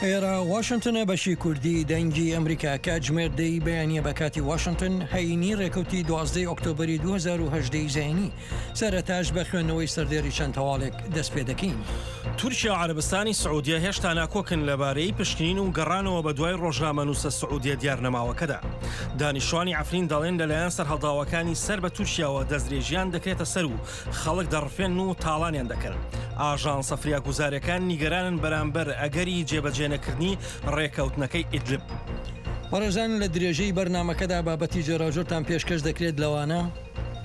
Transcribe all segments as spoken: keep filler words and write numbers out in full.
ئێرە واشنتنە، بەشی کوردی دەنگی ئەمریکا. کاتژمێر دەی بەیانیە بە کاتی واشنتن، هەینی ڕێکەوتی دوازدەی ئۆکتۆبەری دوو هەزار و هەژدە زایینی. سەرەتاش بە خوێندنەوەی سەردێڕی چەند هەواڵێک دەست پێ دەکەین. تورکیا و عەرەبستانی سعودیە هێشتا ناکۆکن لەبارەی پشکنین و گەڕانەوە بە دوای ڕۆژنامەنووسە سعودیە دیار نەماوەکەدا. دانیشتوانی عەفرین دەڵێن لەلایەن سەرهەڵداوەکانی سەر بە تورکیاوە دەستدرێژیان دەکرێتە سەر و خەڵک دەڕفێن و تاڵانیان دەکەن. ئاژانسە فریاگوزارەکان نیگەرانن بەرامبەر ئەگەری جێبەجێنەکردنی ڕێکەوتنەکەی ئیدلب. بەڕێزان، لە درێژەی بەرنامەکەدا بابەتی جۆراوجۆرتان پێشکەش دەکرێت، لەوانە: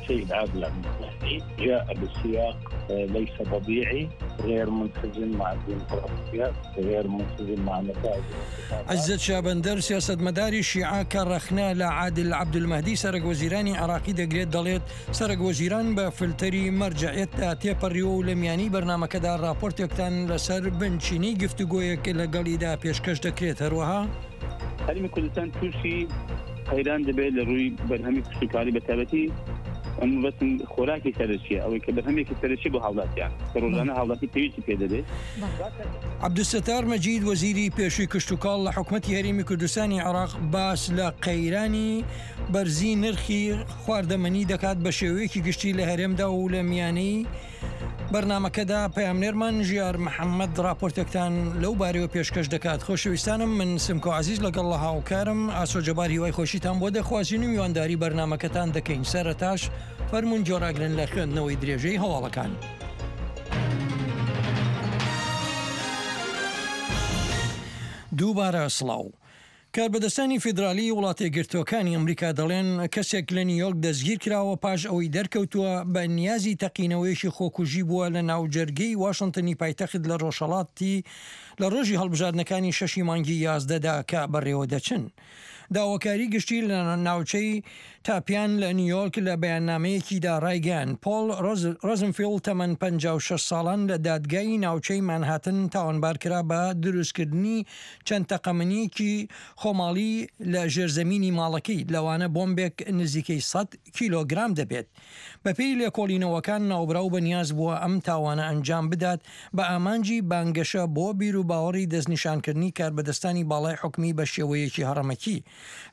شيء عادل عبد المهدي جاء بسياق، آه، ليس طبيعي، غير ملتزم مع الديمقراطية، غير ملتزم مع نتائج الانتخابات. عزت شابندر، سیاستمەداری شیعە کە ڕەخنە لە عادل عەبدولمەهدی سەرەک وەزیرانی عێراقی دەگرێت، دەڵێت سەرەک وەزیران بە فلتەری مەرجەعیەتدا تێپەڕیوە و لە میانی بەرنامەکەدا راپۆرتێکتان لەسەر بنچینەی گفتوگۆیەک لەگەڵیدا پێشکەش دەکرێت. هەروەها هەرێمی کوردستان تووشی قەیران دەبێت لە ڕووی بەرهەمی کشتوکاڵی بە تایبەتی ئەم بەسم خۆراکی سەرەکیە، ئەوەی کە بەرهەمێکی سەرەکی بۆ هاوڵاتیان کە ڕۆژانە هاوڵاتی پێویستی پێ دەبێت. عەبدولستار مەجید، وەزیری پێشووی کشتوکاڵ لە حکومەتی هەرێمی کوردستانی عێراق، باس لە قەیرانی بەرزی نرخی خواردەمەنی دەکات بە شێوەیەکی گشتی لە هەرێمدا و لە میانەی بەرنامەکەدا پەیامنێرمان ژیار محەممەد راپۆرتێکتان لەو بارەوە پێشکەش دەکات. خۆشەویستانم، من سمکۆ عەزیز لەگەڵ هاوکارم ئاسۆ جەبار هیوای خۆشیتان بۆ دەخوازین و میوانداری بەرنامەکەتان دەکەین. سەرەتاش فەرموون جۆراگرن لە خوێندنەوەی درێژەی هەواڵەکان. دووبارە سڵاو. کاربەدەستانی فیدرالی وڵاتە یەکگرتووەکانی ئەمریکا دەڵێن کەسێک لە نیویۆرک دەستگیر کراوە پاش ئەوەی دەرکەوتووە بە نیازی تەقینەوەیەکی خۆکوژی بووە لە ناوجەرگەی واشنتنی پایتەخت لە ڕۆژهەڵاتی، لە ڕۆژی هەڵبژاردنەکانی شەشی مانگی یازدەدا کە بەڕێوە دەچن. داواکاری گشتی لە ناوچەی تاپیان لە نیویۆرک لە بەیاننامەیەکیدا ڕایگەیاند، پۆل ڕۆز-، ڕۆزنفیلد تەمەن پەنجا و شەش ساڵان لە دادگای ناوچەی مانهاتن تاوانبار کرا بە دروستکردنی چەند تەقەمەنیەکی خۆماڵی لە ژێرزەمینی ماڵەکەی، لەوانە بۆمبێک نزیکەی سەد کیلۆگرام دەبێت. بەپێی لێکۆڵینەوەکان، ناوبراو بە نیاز بووە ئەم تاوانە ئەنجام بدات بە ئامانجی بانگەشە بۆ بیر و باوەڕی دەستنیشانکردنی کاربەدەستانی باڵای حکومی بە شێوەیەکی هەڕەمەکی.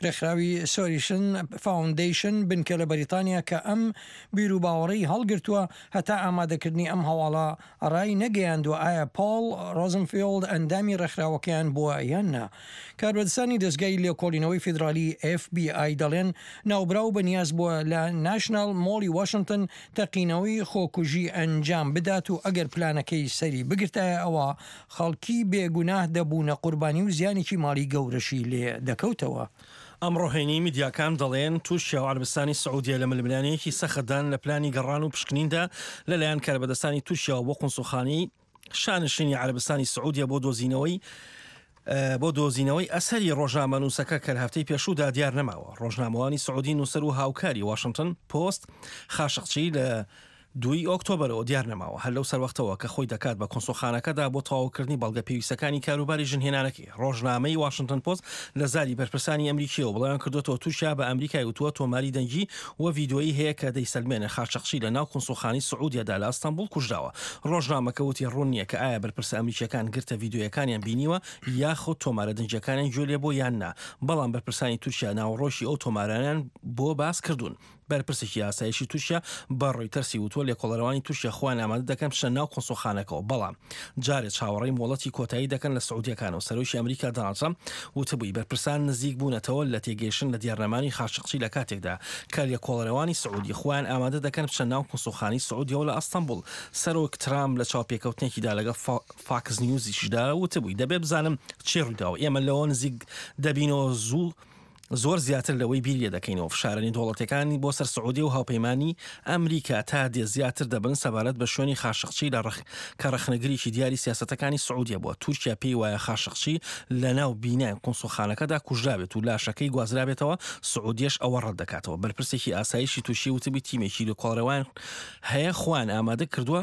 ڕێکخراوی سۆریشن فاوندەیشن، بنکە لە بەریتانیا کە ئەم بیر و باوەڕەی هەڵگرتووە، هەتا ئامادەکردنی ئەم هەواڵە ڕای نەگەیاندووە ئایا پۆل ڕۆزنفیلد ئەندامی ڕێکخراوەکەیان بووە یان نا. کاربەدەستانی دەستگای لێکۆڵینەوەی فیدرالی، ئێف بی ئای، دەڵێن ناوبراو بە نیاز بووە لە ناشنال مۆڵی واشنتن تەقینەوەی خۆکوژی ئەنجام بدات و ئەگەر پلانەکەی سەری بگرتایە، ئەوە خەڵکی بێگوناه دەبوونە قوربانی و زیانێکی ماڵی گەورەشی لێ دەکەوتەوە. ئەمڕۆ هەینی، میدیاکان دەڵێن تورکیا و عەربستانی سعودیە لە ململانەیەکی سەختدان لە پلانی گەڕان و پشکنیندا لەلایەن کاربەدەستانی تورکیاوە بۆ قونسوڵخانەی شانشینی عەربستانی سعودیە بۆ دۆزینەوەی، ئە، بۆ دۆزینەوەی ئەسەری ڕۆژنامەنووسەکە کە لە هەفتەی پێشوودا دیار نەماوە. ڕۆژنامەوانی سعودی نووسەر و هاوکاری واشنتن پۆست خاشقچی لە دووی ئۆکتۆبەرەوە دیار نەماوە، هەر لەو سەروەختەوە کە خۆی دەکات بە کۆنسوڵخانەکەدا بۆ تەواوکردنی بەڵگە پێویستەکانی کاروباری ژنهێنانەکەی. ڕۆژنامەی واشنتن پۆست لە زاری بەرپرسانی ئەمریکیەوە بڵاویان کردوتەوە تورکیا بە ئەمریکای وتووە تۆماری دەنگی و ڤیدیۆیی هەیە کە دەیسەلمێنێ خاشقچی لە ناو کۆنسوڵخانەی سعودیەدا لە ئەستەنبوڵ کوژراوە. ڕۆژنامەکە وتی ڕوون نییە کە ئایا بەرپرسە ئەمریکیەکان گرتە ڤیدیۆیەکانیان بینیوە یاخود تۆمارە دەنگیەکانیان گوێ لێ بۆ یان نا، بەڵام بەرپرسانی تورکیا ناوەڕۆکی ئەو تۆمارانیان بۆ باس کردوون. بەرپرسێکی ئاسایشی تورکیا بە ڕۆیتەرسی وتووە لێکۆڵەرەوانی تورکیا خۆیان ئامادە دەکەن بچنە ناو کۆنسوڵخانەکەەوە، بەڵام جارێ چاوەڕێی مۆڵەتی کۆتایی دەکەن لە سعودیەکانەوە. سەرۆکی ئەمریکا دۆناڵد ترەمپ وتبووی بەرپرسان نزیک بوونەتەوە لە تێگەیشتن لە دیارنەمانی خاشقچی لە کاتێکدا کە لێکۆڵەرەوانی سعودی خۆیان ئامادە دەکەن بچنە ناو کۆنسوڵخانەی سعودیەوە لە ئەستەنبوڵ. سەرۆک ترامپ لە چاوپێکەوتنێکیدا لەگەڵ فا-، فاکس نیوزیشدا وتبووی دەبێ بزانم چی ڕوویداوە، ئێمە لەوە نزیک دەبینەوە زوو زۆر زیاتر لەوەی بیر لێ دەکەینەوە. فشارە نێودەوڵەتیەکانی بۆ سەر سعودیە و هاوپەیمانی ئەمریکا تا دێ زیاتر دەبن سەبارەت بە شوێنی خاشقچی لە ڕەخ-، کە ڕەخنەگرێکی دیاری سیاسەتەکانی سعودیە بووە. تورکیا پێی وایە خاشقچی لە ناو بینای قونسوڵخانەکەدا کوژرابێت و لاشەکەی گوازرابێتەوە، سعودیەش ئەوە ڕەت دەکاتەوە. بەرپرسێکی ئاسایشی تورکی وتبی تیمێکی لێکۆڵەرەوان هەیە خۆیان ئامادە کردووە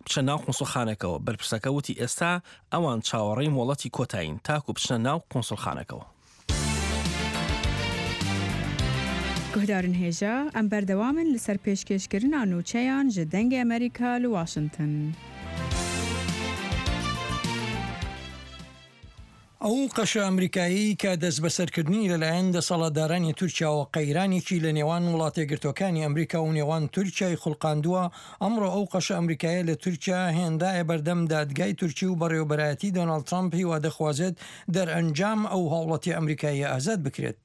بچە ناو قونسوڵخانەکەەوە. بەرپرسەکە وتی ئێستا ئەوان چاوەڕێی مۆڵەتی کۆتایین تاکو بچنە ناو قونسوڵخانەکەەوە. Guhdarên hêja, em berdewam in li ser pêşkêşkirina nûçeyan ji Dengê Amerîka li Washington. ئەو قەشە ئەمریکایی کە دەست بەسەرکردنی لەلایەن دەسەڵاتدارانی تورکیاوە قەیرانێکی لە نێوان وڵاتە گرتوەکانی ئەمریکا و نێوان تورکیای خولقاندووە، ئەمڕۆ ئەو قەشە ئەمریکایە لە تورکیا هێندایە بەردەم دادگای تورکی و بەڕێوەبەرایەتی دۆناڵد ترامپ هیوا دەخوازێت دەرئەنجام ئەو هاوڵەتی ئەمریکایە ئازاد بکرێت.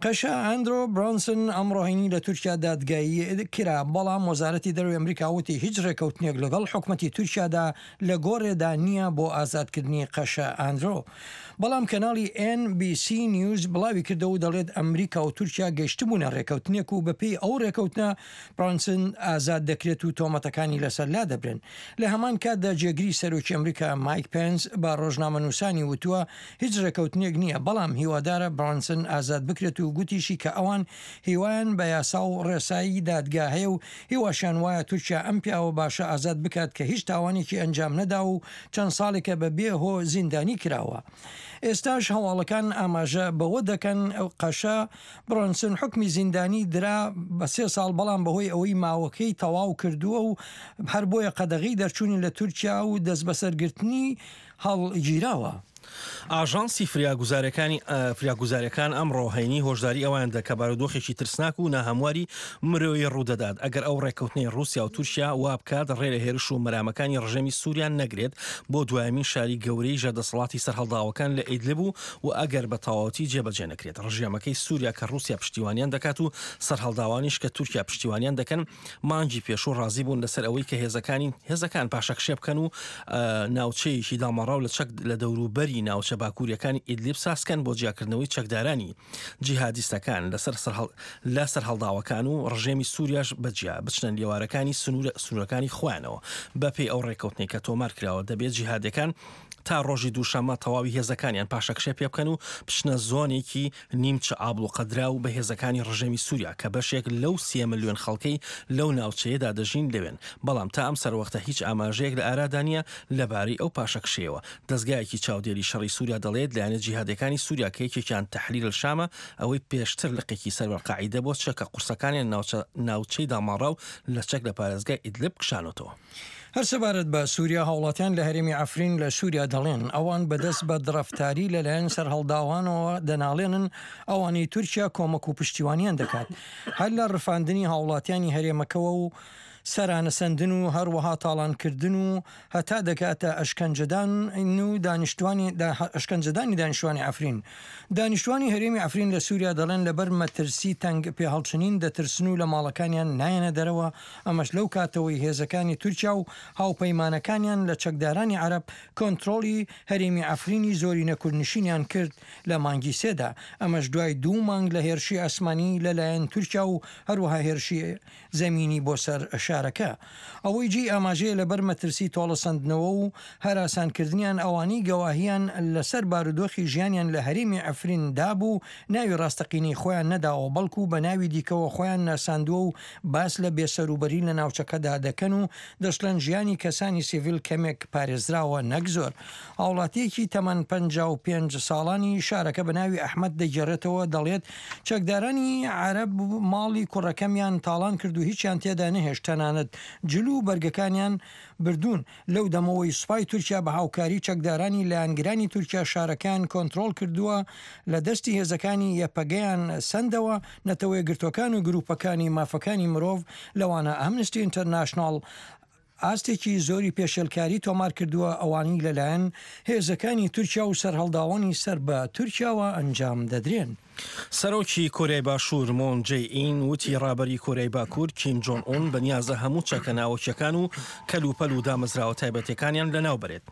قەشە ئاندرۆ برانسن ئەمڕۆ هەینی لە تورکیا دادگایی کرا، بەڵام وەزارەتی دەرەوەی ئەمریکا وتی هیچ ڕێکەوتنێک لەگەڵ حکومەتی تورکیادا لە گۆڕێدا نییە بۆ ئازادکردنی قەشە ئاندرۆ. بەڵام کەناڵی ئێن بی سی نیوز بڵاوی کردەوە و دەڵێت ئەمریکا و تورکیا گەیشتبوونە ڕێکەوتنێک و بەپێی ئەو ڕێکەوتنە برانسن ئازاد دەکرێت و تۆمەتەکانی لەسەر لا دەبرێن. لە هەمان کاتدا جێگری سەرۆکی ئەمریکا مایک پێنس بە ڕۆژنامە نووسانی وتووە هیچ ڕێکەوتنێک نییە، بەڵام هیوادارە برانسن ئازاد بکرێت و گوتیشی کە ئەوان هیوایان بە یاسا و ڕێسایی دادگا هەیە و هیواشیان وایە تورکیا ئەم پیاوە باشە ئازاد بکات کە هیچ تاوانێکی ئەنجام نەدا و چەند ساڵێکە بە بێ هۆ زیندانی کراوە. ئێستاش هەواڵەکان ئاماژە بەوە دەکەن قەشە برۆنسن حکمی زیندانی درا بە سێ ساڵ، بەڵام بەهۆی ئەوەی ماوەکەی تەواو کردووە و هەر بۆیە قەدەغی دەرچوونی لە تورکیا و دەست بەسەرگرتنی هەڵگیراوە. ئاژانسی فریاگوزارەکانی، ئە، فریاگوزاریەکان ئەمڕۆ هەینی هۆشداری ئەوان دەکە بارودۆخێکی ترسناک و ناهەمواری مرۆیی ڕوودەدات ئەگەر ئەو ڕێکەوتنەی رووسیا و تورکیا وا بکات ڕێ لە هێرش و مەرامەکانی ڕژێمی سووریا نەگرێت بۆ دوایەمین شاری گەورەی ژێردەسەڵاتی سەرهەڵداوەکان لە ئیدلب و، و ئەگەر بە تەواوەتی جێبەجێ نەکرێت. ڕژێمەکەی سووریا کە رووسیا پشتیوانیان دەکات و سەرهەڵداوانیش کە تورکیا پشتیوانیان دەکەن، مانگی پێشوو ڕازی بوون لەسەر ئەوەی کە هێزەکانی، هێزەکان پاشەکشێ بکەن و، ئە، ناوچەیەکی دامەڕاو لە چەک، لە دەوروبەری ناوچە باکووریەکانی ئیدلیب سازکەن بۆ جیاکردنەوەی چەکدارانی جیهادیستەکان لەسەر سەرهەڵ-، لە سەرهەڵداوەکان و ڕژێمی سووریاش بەجیا بچنە لێوارەکانی سنوورە-، سنوورەکانی خۆیانەوە. بە پێی ئەو ڕێکەوتنەی کە تۆمار کراوە، دەبێت جیهادەکان تا ڕۆژی دووشەممە تەواوی هێزەکانیان پاشەکشێ پێ بکەن و بچنە زۆنێکی نیمچە ئابلوقەدرا و بە هێزەکانی ڕژێمی سووریا کە بەشێک لەو سێ ملیۆن خەڵکەی لەو ناوچەیەدا دەژین لەوێن، بەڵام تا ئەم سەروەختە هیچ ئاماژەیەک لە ئارادا نییە لەبارەی ئەو پاشەکشەیەوە. دەستگایەکی چاودێری شەڕی سووریا دەڵێت لایەنە جیهادەکانی سووریا کە یەکێکیان تەحریر الشامە، ئەوەی پێشتر لقێکی سەر بەرقاعیدە بۆ چەکە قورسەکانیان ناوچە-، ناوچەی داماڕاو لە چەک لە پارێزگای ئیدلب کشانەوەتەوە. هەر سەبارەت بە سووریا، هاوڵاتیان لە هەرێمی عەفرین لە سووریا دەڵێن ئەوان بەدەست بە دڕەفتاری لەلایەن سەرهەڵداوانەوە دەناڵێنن، ئەوانەی تورکیا کۆمەک و پشتیوانیان دەکات، هەر لە ڕفاندنی هاوڵاتیانی هەرێمەکەوە و سەرانەسەندن و هەروەها تاڵانکردن و هەتا دەکاتە ئەشکەنجەدان و دانیشتوانی دا-، ئەشکەنجەدانی دانیشتوانی عەفرین. دانیشتوانی هەرێمی عەفرین لە سووریا دەڵێن لەبەر مەترسی تەنگ پێهەڵچنین دەترسن و لە ماڵەکانیان نایەنە دەرەوە. ئەمەش لەو کاتەوەی هێزەکانی تورکیا و هاوپەیمانەکانیان لە چەکدارانی عەرەب کۆنترۆڵی هەرێمی عەفرینی زۆرینە کوردنشینیان کرد لە مانگی سێدا. ئەمەش دوای دوو مانگ لە هێرشی ئاسمانی لەلایەن تورکیا و هەروەها هێرشی زەمینی بۆ سەر شارەکە. ئەوەی جێی ئاماژەیە لەبەر مەترسی تۆڵەسەندنەوە و هەراسانکردنیان ئەوانەی گەواهیان لەسەر بارودۆخی ژیانیان لە هەرێمی عەفرین دابوو، ناوی ڕاستەقینەی خۆیان نەداوە، بەڵکو بە ناوی دیکەوە خۆیان ناساندووە و باس لە بێسەروبەری لە ناوچەکەدا دەکەن و دەشڵێن ژیانی کەسانی سیڤیل کەمێک پارێزراوە نەک زۆر. هاوڵاتیەکی تەمەن پەنجا و پێنج ساڵانی شارەکە بە ناوی ئەحمەد دەگێڕێتەوە، دەڵێت چەکدارانی عەرەب ماڵی کوڕەکەمیان تاڵان کرد و هیچیان تێدا نەهێشت، تەنانەت جل و بەرگەکانیان بردوون. لەو دەمەوەی سوپای تورکیا بە هاوکاری چەکدارانی لایەنگرانی تورکیا شارەکەیان کۆنترۆڵ کردووە، لە دەستی هێزەکانی یەپەگەیان سەندەوە. نەتەوە یەکگرتووەکان و گروپەکانی مافەکانی مرۆڤ، لەوانە ئەمنستی ئینتەرناشناڵ، ئاستێکی زۆری پێشێلکاری تۆمار کردووە، ئەوانەی لەلایەن هێزەکانی تورکیا و سەرهەڵداوانی سەر بە تورکیاوە ئەنجام دەدرێن. سەرۆکی کۆریای باشوور مۆن جەی ئین وتی ڕابەری کۆریای باکوور کیم جۆن ئون بە نیازە هەموو چەکە ناوەکیەکان و کەل و پەل و دامەزراوە تایبەتەکانیان لەناو بەرێت.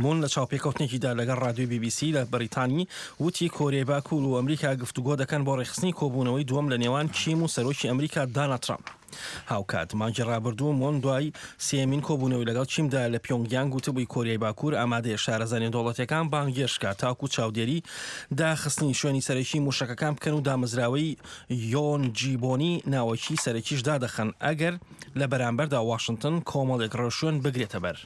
مون لە چاوپێکەوتنێکیدا لەگەڵ ڕادیۆی بی بی سی لە بەریتانی وتی کۆریای باکوور و ئەمریکا گفتوگۆ دەکەن بۆ ڕێخستنی کۆبوونەوەی دووەم لە نێوان کیم و سەرۆکی ئەمریکا دانە ترامپ. هاوکات مانگی ڕابردوو مۆن دوای سێمین کۆبوونەوەی لەگەڵ چیمدا لە پیۆنگیانگ وتبووی کۆریای باکوور ئامادەیە شارەزانیە دەوڵەتەکان بانگێشت کات تاکو چاودێری داخستنی شوێنی سەرەکی موشەکەکان بکەن و دامەزراوەی یۆن جیبۆنی ناوەکی سەرەکیش دادەخەن ئەگەر لە بەرامبەردا واشنگتن کۆمەڵێک ڕێوشوێن بگرێتە بەر.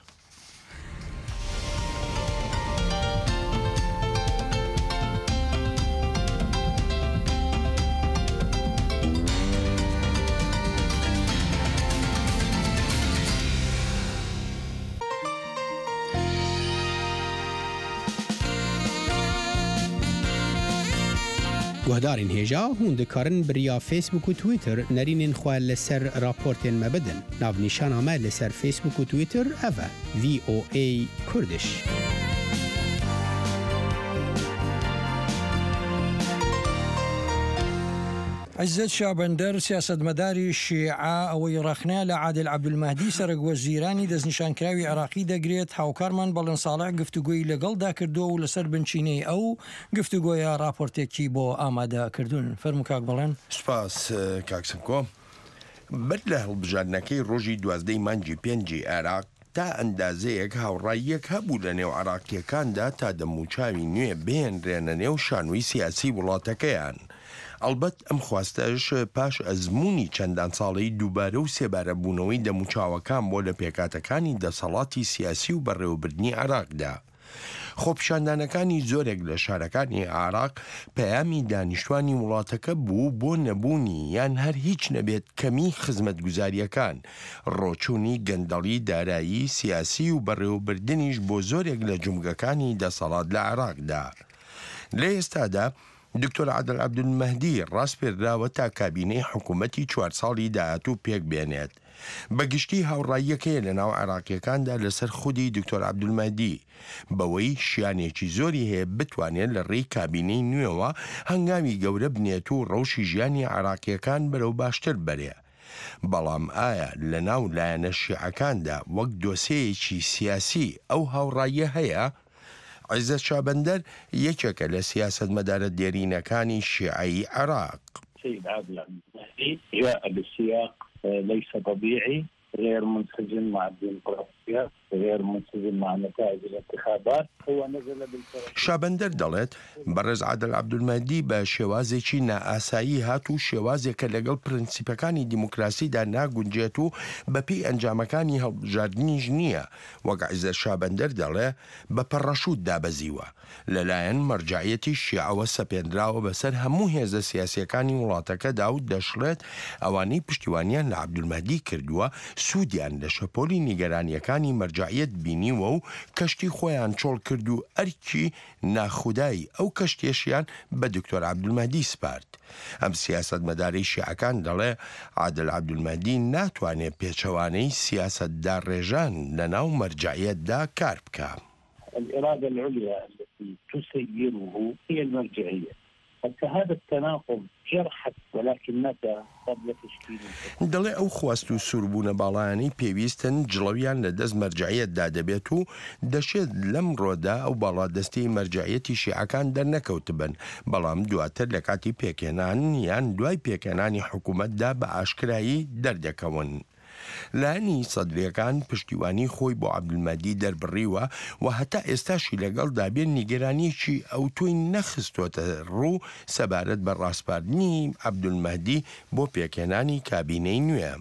Guhdarên hêja, hûn dikarin bi riya Facebook û Twitter nerînên xwe li ser raportên me bidin. Navnîşana me li ser Facebook û Twitter ev e, V O A Kurdish. عیزەت شابەندەر، سیاسەتمەداری شیعە، ئەوەی ڕەخنە لە عادل عەبدولمەهدی، سەرەک وەزیرانی دەستنیشانکراوی عێراقی دەگرێت، هاوکارمان بەڵێن ساڵح گفتوگۆی لەگەڵدا کردووە و لەسەر بنچینەی ئەو گفتوگۆیە راپۆرتێکی بۆ ئامادە کردوون. فەرموو کاک بەڵێن. سوپاس، کاک سمکۆ. بەر لە هەڵبژاردنەکەی ڕۆژی دوازدەی مانگی پێنجی عێراق، تا ئەندازەیەک هاوڕاییەک هەبوو لە نێو عێراقییەکاندا تا دەموچاوی نوێ بهێنرێنە نێو شانۆی سیاسی وڵاتەکەیان. ئەڵبەت ئەم خواستەش پاش ئەزموونی چەندان ساڵەی دووبارە و سێبارە بوونەوەی دەموچاوەکان بۆ لە پێکاتەکانی دەسەڵاتی سیاسی و بەڕێوەبردنی عێراقدا. خۆپیشاندانەکانی زۆرێک لە شارەکانی عێراق پەیامی دانیشتوانی وڵاتەکە بوو بۆ نەبوونی یان هەر هیچ نەبێت کەمیی خزمەتگوزارییەکان، ڕۆچوونی گەندەڵی دارایی، سیاسی و بەڕێوەبردنیش بۆ زۆرێک لە جومگەکانی دەسەڵات لە عێراقدا. لە ئێستادا دکتۆر عادل عەبدولمەهدی ڕاسپێردراوە تا کابینەی حکوومەتی چوار ساڵی داهاتوو پێک بێنێت. بە گشتی هاوڕاییەک هەیە لە ناو عێراقییەکاندا لەسەر خودی دکتۆر عەبدولمەهدی، بەوەی شیانێکی زۆری هەیە بتوانێت لە ڕێی کابینەی نوێوە هەنگاوی گەورە بنێت و ڕەوشی ژیانی عێراقییەکان بەرەو باشتر بەرێ. بەڵام ئایا لە ناو لایەنە شیعەکاندا وەک دۆسێیەکی سیاسی ئەو هاوڕاییە هەیە؟ عیزەت شابەندەر یەکێکە لە سیاسەتمەدارە دێرینەکانی شیعەی عێراق. السيد عادل عبد المهدي جاء بسياق ليس طبيعي، غير منسجم مع الديمقراطية، غير منسجم مع نتائج الانتخابات. هو نزل بالفرنسية. شابەندەر دەڵێت، بەڕێز عادل عەبدولمەهدی بە شێوازێکی نائاسایی هات و شێوازێکە لەگەڵ پرەنسیپەکانی دیموکراسیدا ناگونجێت و بەپێی ئەنجامەکانی هەڵبژاردنیش نییە. وەک عیزەت شابەندەر دەڵێ، بە پەڕەشوت دابەزیوە. لەلایەن مەرجەعیەتی شیعەوە سەپێندراوە بەسەر هەموو هێزە سیاسییەکانی وڵاتەکەدا و دەشڵێت، ئەوانەی پشتیوانییان لە عەبدولمەهدی کردووە، سوودیان لە شەپۆلی نیگەرانییەکانی مەرجەعیەت بینیوە و کەشتی خۆیان چۆڵ کرد و ئەرکی ناخودایی ئەو کەشتیەشیان بە دکتۆر عەبدولمەهدی سپارد. ئەم سیاسەتمەدارەی شیعەکان دەڵێ، عادل عەبدولمەهدی ناتوانێ پێچەوانەی سیاسەتداڕێژان لە ناو مەرجەعیەتدا کار بکا. الإرادة العليا التي تسيره هي المرجعية. حتى هذا التناقض جرحت، ولكن متى؟ قبل تشكيل الحكومة. دەڵێ ئەو خواست و سووربوونە باڵایانەی پێویستن جڵەویان لە دەست مەرجەعیەتدا دەبێت و دەشێت لەمڕۆدا ئەو باڵادەستەی مەرجەعیەتی شیعەکان دەرنەکەوتبن، بەڵام دواتر لە کاتی پێکهێنان یان دوای پێکهێنانی حکوومەتدا بە ئاشکرایی دەردەکەون. لایەنی سەدرییەکان پشتیوانیی خۆی بۆ عەبدولمەهدی دەربڕیوە و هەتا ئێستاشی لەگەڵدا بێ نیگەرانییەکی ئەوتۆی نەخستۆتە ڕوو سەبارەت بە ڕاسپاردنی عەبدولمەهدی بۆ پێکهێنانی کابینەی نوێ.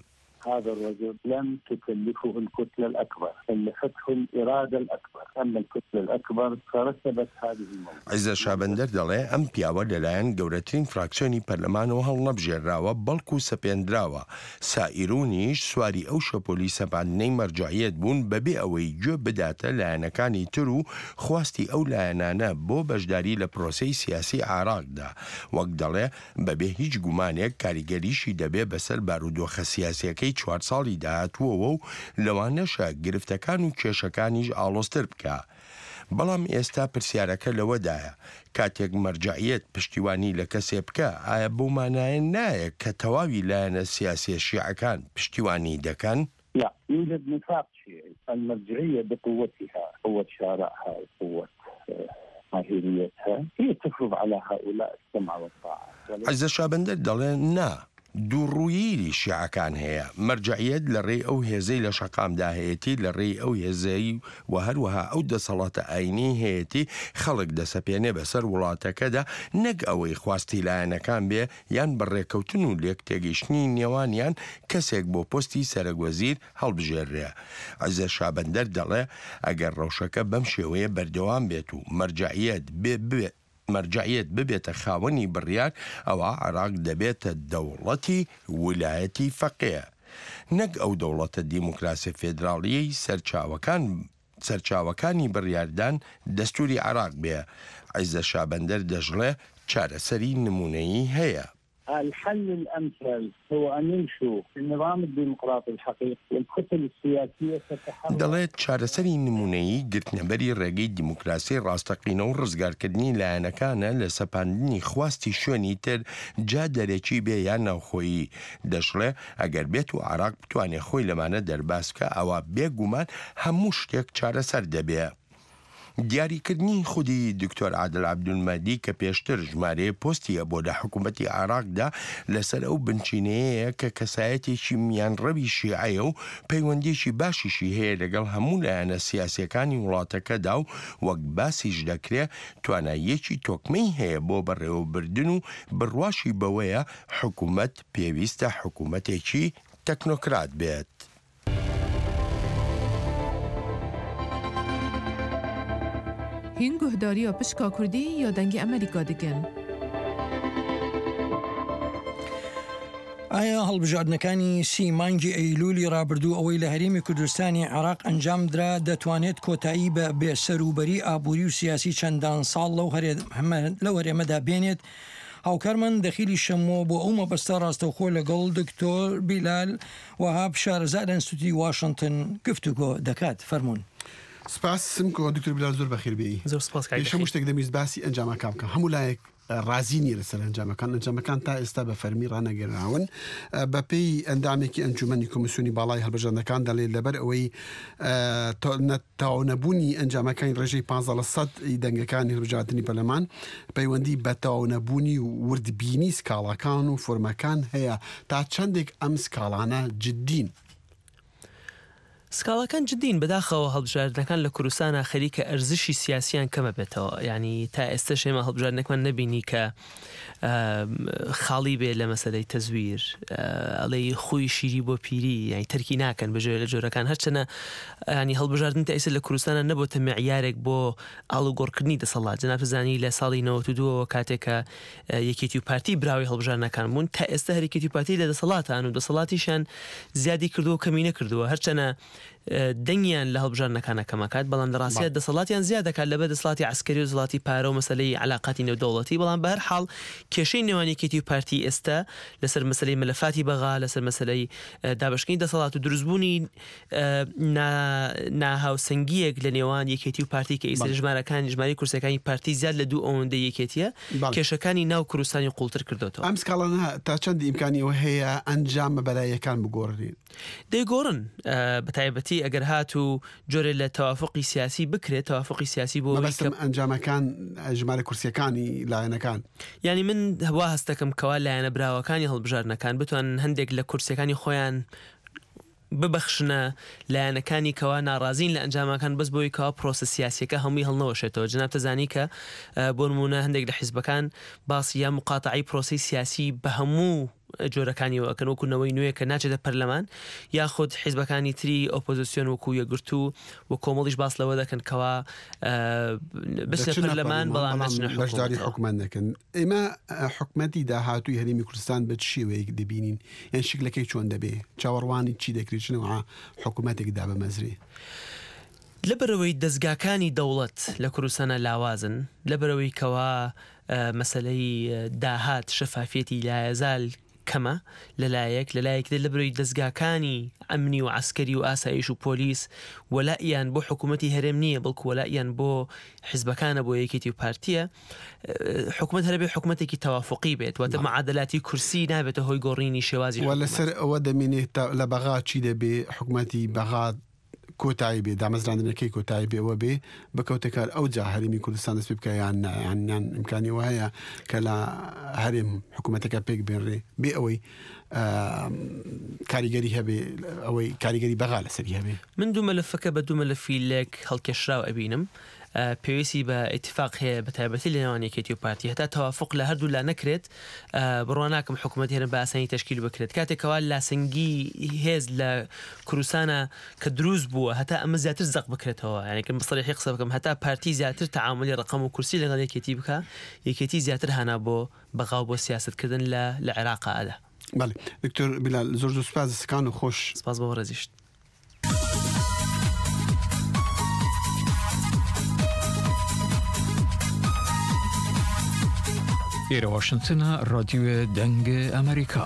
هذا الرجل لم تكلفه الكتلة الأكبر، كلفته الإرادة الأكبر. أما الكتلة الأكبر فرسبت هذه الموضوع. عیزەت شابەندەر دەڵێ، ئەم پیاوە لەلایەن گەورەترین فراکسیۆنی پەرلەمانەوە هەڵنەبژێنراوە، بەڵکو سەپێندراوە. سائیرونیش سواری ئەو شەپۆلی سەپاندنەی مەرجەعیەت بوون بەبێ ئەوەی گوێ بداتە لایەنەکانی تر و خواستی ئەو لایەنانە بۆ بەشداری لە پرۆسەی سیاسی عێراقدا. وەک دەڵێ، بەبێ هیچ گومانێک کاریگەریشی دەبێ بەسەر بارودۆخە سیاسییەکەی چوار ساڵی داهاتووەوە و لەوانەشە گرفتەکان و کێشەکانیش ئاڵۆزتر بکا. بەڵام ئێستا پرسیارەکە لەوەدایە، کاتێک مەرجەعیەت پشتیوانی لە کەسێ بکا، ئایا بەو مانایە نایە کە تەواوی لایەنە سیاسییە شیعەکان پشتیوانی دەکەن؟ لا، يوجد نفاق شيعي. المرجعية بقوتها، قوة شارعها وقوة، آه، ماهريتها، هي تفرض على هؤلاء السمع والطاعة. وليس عیزەت شابەندەر دەڵێ، نا، دووڕوویی شیعەکان هەیە. مەرجەعیەت لە ڕێی ئەو هێزەی لە شەقامدا هەیەتی، لە ڕێی ئەو هێزەی و هەروەها ئەو دەسەڵاتە ئاینیی هەیەتی، خەڵک دەسەپێنێ بەسەر وڵاتەکەدا، نەک ئەوەی خواستی لایەنەکان بێ یان بە ڕێکەوتن و لێکتێگەیشتنی نێوانیان کەسێک بۆ پۆستی سەرەکوەزیر هەڵبژێررێ. عیزەت شابەندەر دەڵێ، ئەگەر ڕەوشەکە بەم شێوەیە بەردەوام بێت و مەرجەعیەت بێ، بێ، مەرجەعیەت ببێتە خاوەنی بڕیار، ئەوا عێراق دەبێتە دەوڵەتی ولایەتی فەقێ، نەک ئەو دەوڵەتە دیموکراسییە فێدراڵییەی سەرچاوەکان سەرچاوەکانی بڕیاردان دەستوری عێراق بێ. عیزە شابەندەر دەژڵێ چارەسەری نمونەیی هەیە. الحل الأمثل هو أن يمشوا في النظام الديمقراطي الحقيقي، والكتل السياسية تتحرك. دەڵێت چارەسەری نمونەیی گرتنەبەری ڕێگەی دیموکراسی ڕاستەقینە و ڕزگارکردنی لایەنەکانە لە سەپاندنی خواستی شوێنی تر، جا دەرەکی بێ یان ناوخۆیی. دەشڵێ ئەگەر بێت و عێراق بتوانێت خۆی لەمانە دەرباز بکە، ئەوە بێگومان هەموو شتێک چارەسەر دەبێ. دیاریکردنی خودی دکتۆر عادل عەبدولمەهدی کە پێشتر ژمارەیە پۆستی هەبوو لە حکوومەتی عێراقدا، لەسەر ئەو بنچینەیە کە کەسایەتێکی میانڕەوی شیعەیە و پەیوەندیەکی باشیشی هەیە لەگەڵ هەموو لایەنە سیاسیەکانی وڵاتەکەدا و وەک باسیش دەکرێ تواناییەکی تۆکمەی هەیە بۆ بەڕێوەبردن و بڕواشی بەوەیە حکوومەت پێویستە حکوومەتێکی تەکنۆکرات بێت. Hîn guhdariya pişka Kurdî ya Dengê Amerîka dikin. ئایا هەڵبژاردنەکانی سی مانگی ئەیلولی ڕابردوو ئەوەی لە هەرێمی کوردستانی عێراق ئەنجام درا دەتوانێت کۆتایی بە بێسەروبەری ئابووری و سیاسی چەندان ساڵ لەو هەرێ-، هەمە-، لەو هەرێمەدا بێنێت؟ هاوکارمان دەخیلی شەمۆ بۆ ئەو مەبەستە ڕاستەوخۆ لەگەڵ دکتۆر بیلال وەهاب شارەزا لە ئینستیتوتی واشنگتن گفتوگۆ دەکات. فەرموون. سپاس سمکۆ، دکتۆر بیلال، زۆر بەخێر بێی. زۆر سپاس کاک پێش هەموو بەخێر. شتێک دەمویست باسی ئەنجامەکان بکەم. هەموو لایەک ڕازی نییە لەسەر ئەنجامەکان. ئەنجامەکان تا ئێستا بە فەرمی ڕانەگەراون. بە پێی ئەندامێکی ئەنجومەنی کۆمیسیۆنی باڵای هەڵبژاردنەکان دەڵێت لەبەر ئەوەی، ئە، تە-، نە-، تەواونەبوونی ئەنجامەکانی ڕێژەی پانزدە لە سەد ی دەنگەکانی هەڵبژاردنی پەرلەمان پەیوەندی بە تەواونەبوونی و وردبینی سکاڵاکان و فۆرمەکان هەیە. تا چەندێک ئەم سکاڵانە جددین؟ سکاڵاکان جددین. بەداخەوە هەڵبژاردنەکان لە کوردستانا خەریکە ئەرزشی سیاسیان کەمە بێتەوە. یعنی تا ئێستەش ئێمە هەڵبژاردنێکمان نەبینی کە، ئە، خاڵی بێ لە مەسەلەی تەزویر. ئە، ئەڵێی خۆی شیری بۆ پیری، یعنی تەرکی ناکەن بە جۆرە لە جۆرەکان. هەرچەنە، یعنی هەڵبژاردن تا ئێستا لە کوردستانا نەبووتە معیارێک بۆ ئاڵوگۆڕکردنی دەسەڵات. جناب زانی لە ساڵی نەوەد و دووەوە کاتێک کە، ئە، یەکێتی و پارتی براوەی هەڵبژاردنەکان بوون، تا ئێستا هەر یەکێتی و پارتی لە دەسەڵاتان و دەسەڵاتیشیان زیادی کردووە و کەمی نەکردووە. هەرچەنە، ئە، دەنگیان لە هەڵبژاردنەکانە کەمەکات، بەڵام لە ڕاستیدا بەڵێ. دەسەڵاتیان زیاد دەکات لەبەر دەسەڵاتی عەسکەری و دەسەڵاتی عەلاقاتی نێودەوڵەتی. بەڵام بە هەر حاڵ کێشەی نێوان یەکێتی و پارتی ئێستا لەسەر مەسەلەی مەلەفاتی بەغا، لەسەر مەسەلەی، ئە، دابەشکردنی دەسەڵات و دروستبوونی، ئە، نا-، ناهاوسەنگیەک لە نێوان یەکێتی و پارتی کە ئیسە بەڵێ. ژمارەکان، ژمارەی کورسەکانی پارتی زیاد لە دوو ئەوەندەی یەکێتیە. بەڵێ. کێشەکانی ناو کوردستانی قوڵتر کردوتەوە. ئەم سکاڵانە تا چەندی ئیمکانی ئەوە هەیە ئەنجامە بەلایەکان بگۆڕێت؟ دەیگۆڕن، ئە، بە تایبەتی ئەگەر هات و جۆرێ لە تەوافقی سیاسی بکرێت، تەوافقی سیاسی بۆ ئەوەی مەبەستم کە ئەنجامەکان، ژمارە کورسیەکانی لایەنەکان. یعنی من وا هەست دەکەم کەوا لایەنە براوەکانی هەڵبژاردنەکان بتوانن هەندێک لە کورسیەکانی خۆیان ببەخشنە لایەنەکانی کەوا ناڕازین لە ئەنجامەکان، بەس بۆی کەوا پرۆسە سیاسیەکە هەمووی هەڵنەوەشێتەوە. جناب تەزانی کە، ئە، بۆ نمونە هەندێک لە حیزبەکان باسی یا مقاتعی پرۆسی سیاسی بە هەموو جۆرەکانیەوە ئەکەن، وەکو نەوەی نوێ کە ناچێتە پەرلەمان، یاخود حیزبەکانی تری ئۆپۆزیسیۆن وەکو یەکگرتوو و کۆمەڵیش باس لەوە دەکەن کەوا، ئە، بچنە دەچنە پەرلەمان، پەرلەمان، بەڵام بەڵام نەچنە بەشداری حکوومەتەوە. حکوومەت نەکەن. ئێمە، ئە، حکوومەتی داهاتووی هەرێمی کوردستان بە چ شێوەیەک دەبینین؟ یان شکلەکەی چۆن دەبێ؟ چاوەڕوانی چی دەکرێت؟ چ نەوعە حکوومەتێک دابمەزرێ؟ لەبەرەوەی دەستگاکانی دەوڵەت لە کوردستانە لاوازن، لەبەرەوەی کەوا، ئە، مەسەلەی، ئە، داهات شەفافیەتی لایەزال کەمە لەلایەک، لەلایەک تر لەبەرەوەی دەستگاکانی ئەمنی و عەسکەری و ئاسایش و پۆلیس وەلائیان بۆ حکوومەتی هەرێم نییە، بەڵکو وەلائیان بۆ حیزبەکانە، بۆ یەکێتی و پارتیە. ئە، حکوومەت هەربێ حکوومەتێکی تەوافقی بێت، واتە بەڵێ. معادلاتی کورسی نابێتە هۆی گۆڕینی شێوازی و حکوومەت. لەسەر ئەوە دەمێنێت تا لە بەغا چی دەبێ، حکوومەتی بەغا کۆتایی بێ، دامەزراندنەکەی کۆتایی بێ، ئەوە بێ بکەوتە کار، ئەو جا هەرێمی کوردستان دەست پێ بکە یان نە، یان، یان ئیمکانی وە هەیە کە لە هەرێم حکوومەتەکە پێک بێنرێ، بێ ئەوەی، ئە، کاریگەری هەبێ، ئەوەی کاریگەری بەغا لەسەری هەبێ. من دوو مەلەفەکە بە دوو مەلەفی لێک هەڵکێشراو ئەبینم. ئە، پێویستی بە ئیتیفاق هەیە، بە تایبەتی لە نێوان یەکێتی و پارتی. هەتا تەوافق لە هەردوو لا نەکرێت، ئە، بڕوا ناکەم حکوومەت هێرن بە ئاسانی تەشکیل بکرێت. کاتێک کەوا لاسەنگی هێز لە کوردستانە کە دروست بووە، هەتا ئەمە زیاتر زەق بکرێتەوە. یعنی، کە بە سەریحی قسە بکەم، هەتا پارتی زیاتر تەعاملی ڕقم و کورسی لەگەڵ یەکێتی بکە، یەکێتی زیاتر هانا بۆ بەغا و بۆ سیاستکردن لە، لە عێراقا ئەدا. بەڵێ. دکتۆر بیلال، زۆر زۆر سپاس، دەستەکان و خۆش. سپاس بۆ ڕێزیشت. ئێرە واشنگتنە، ڕادیۆ دەنگ ئەمریکا.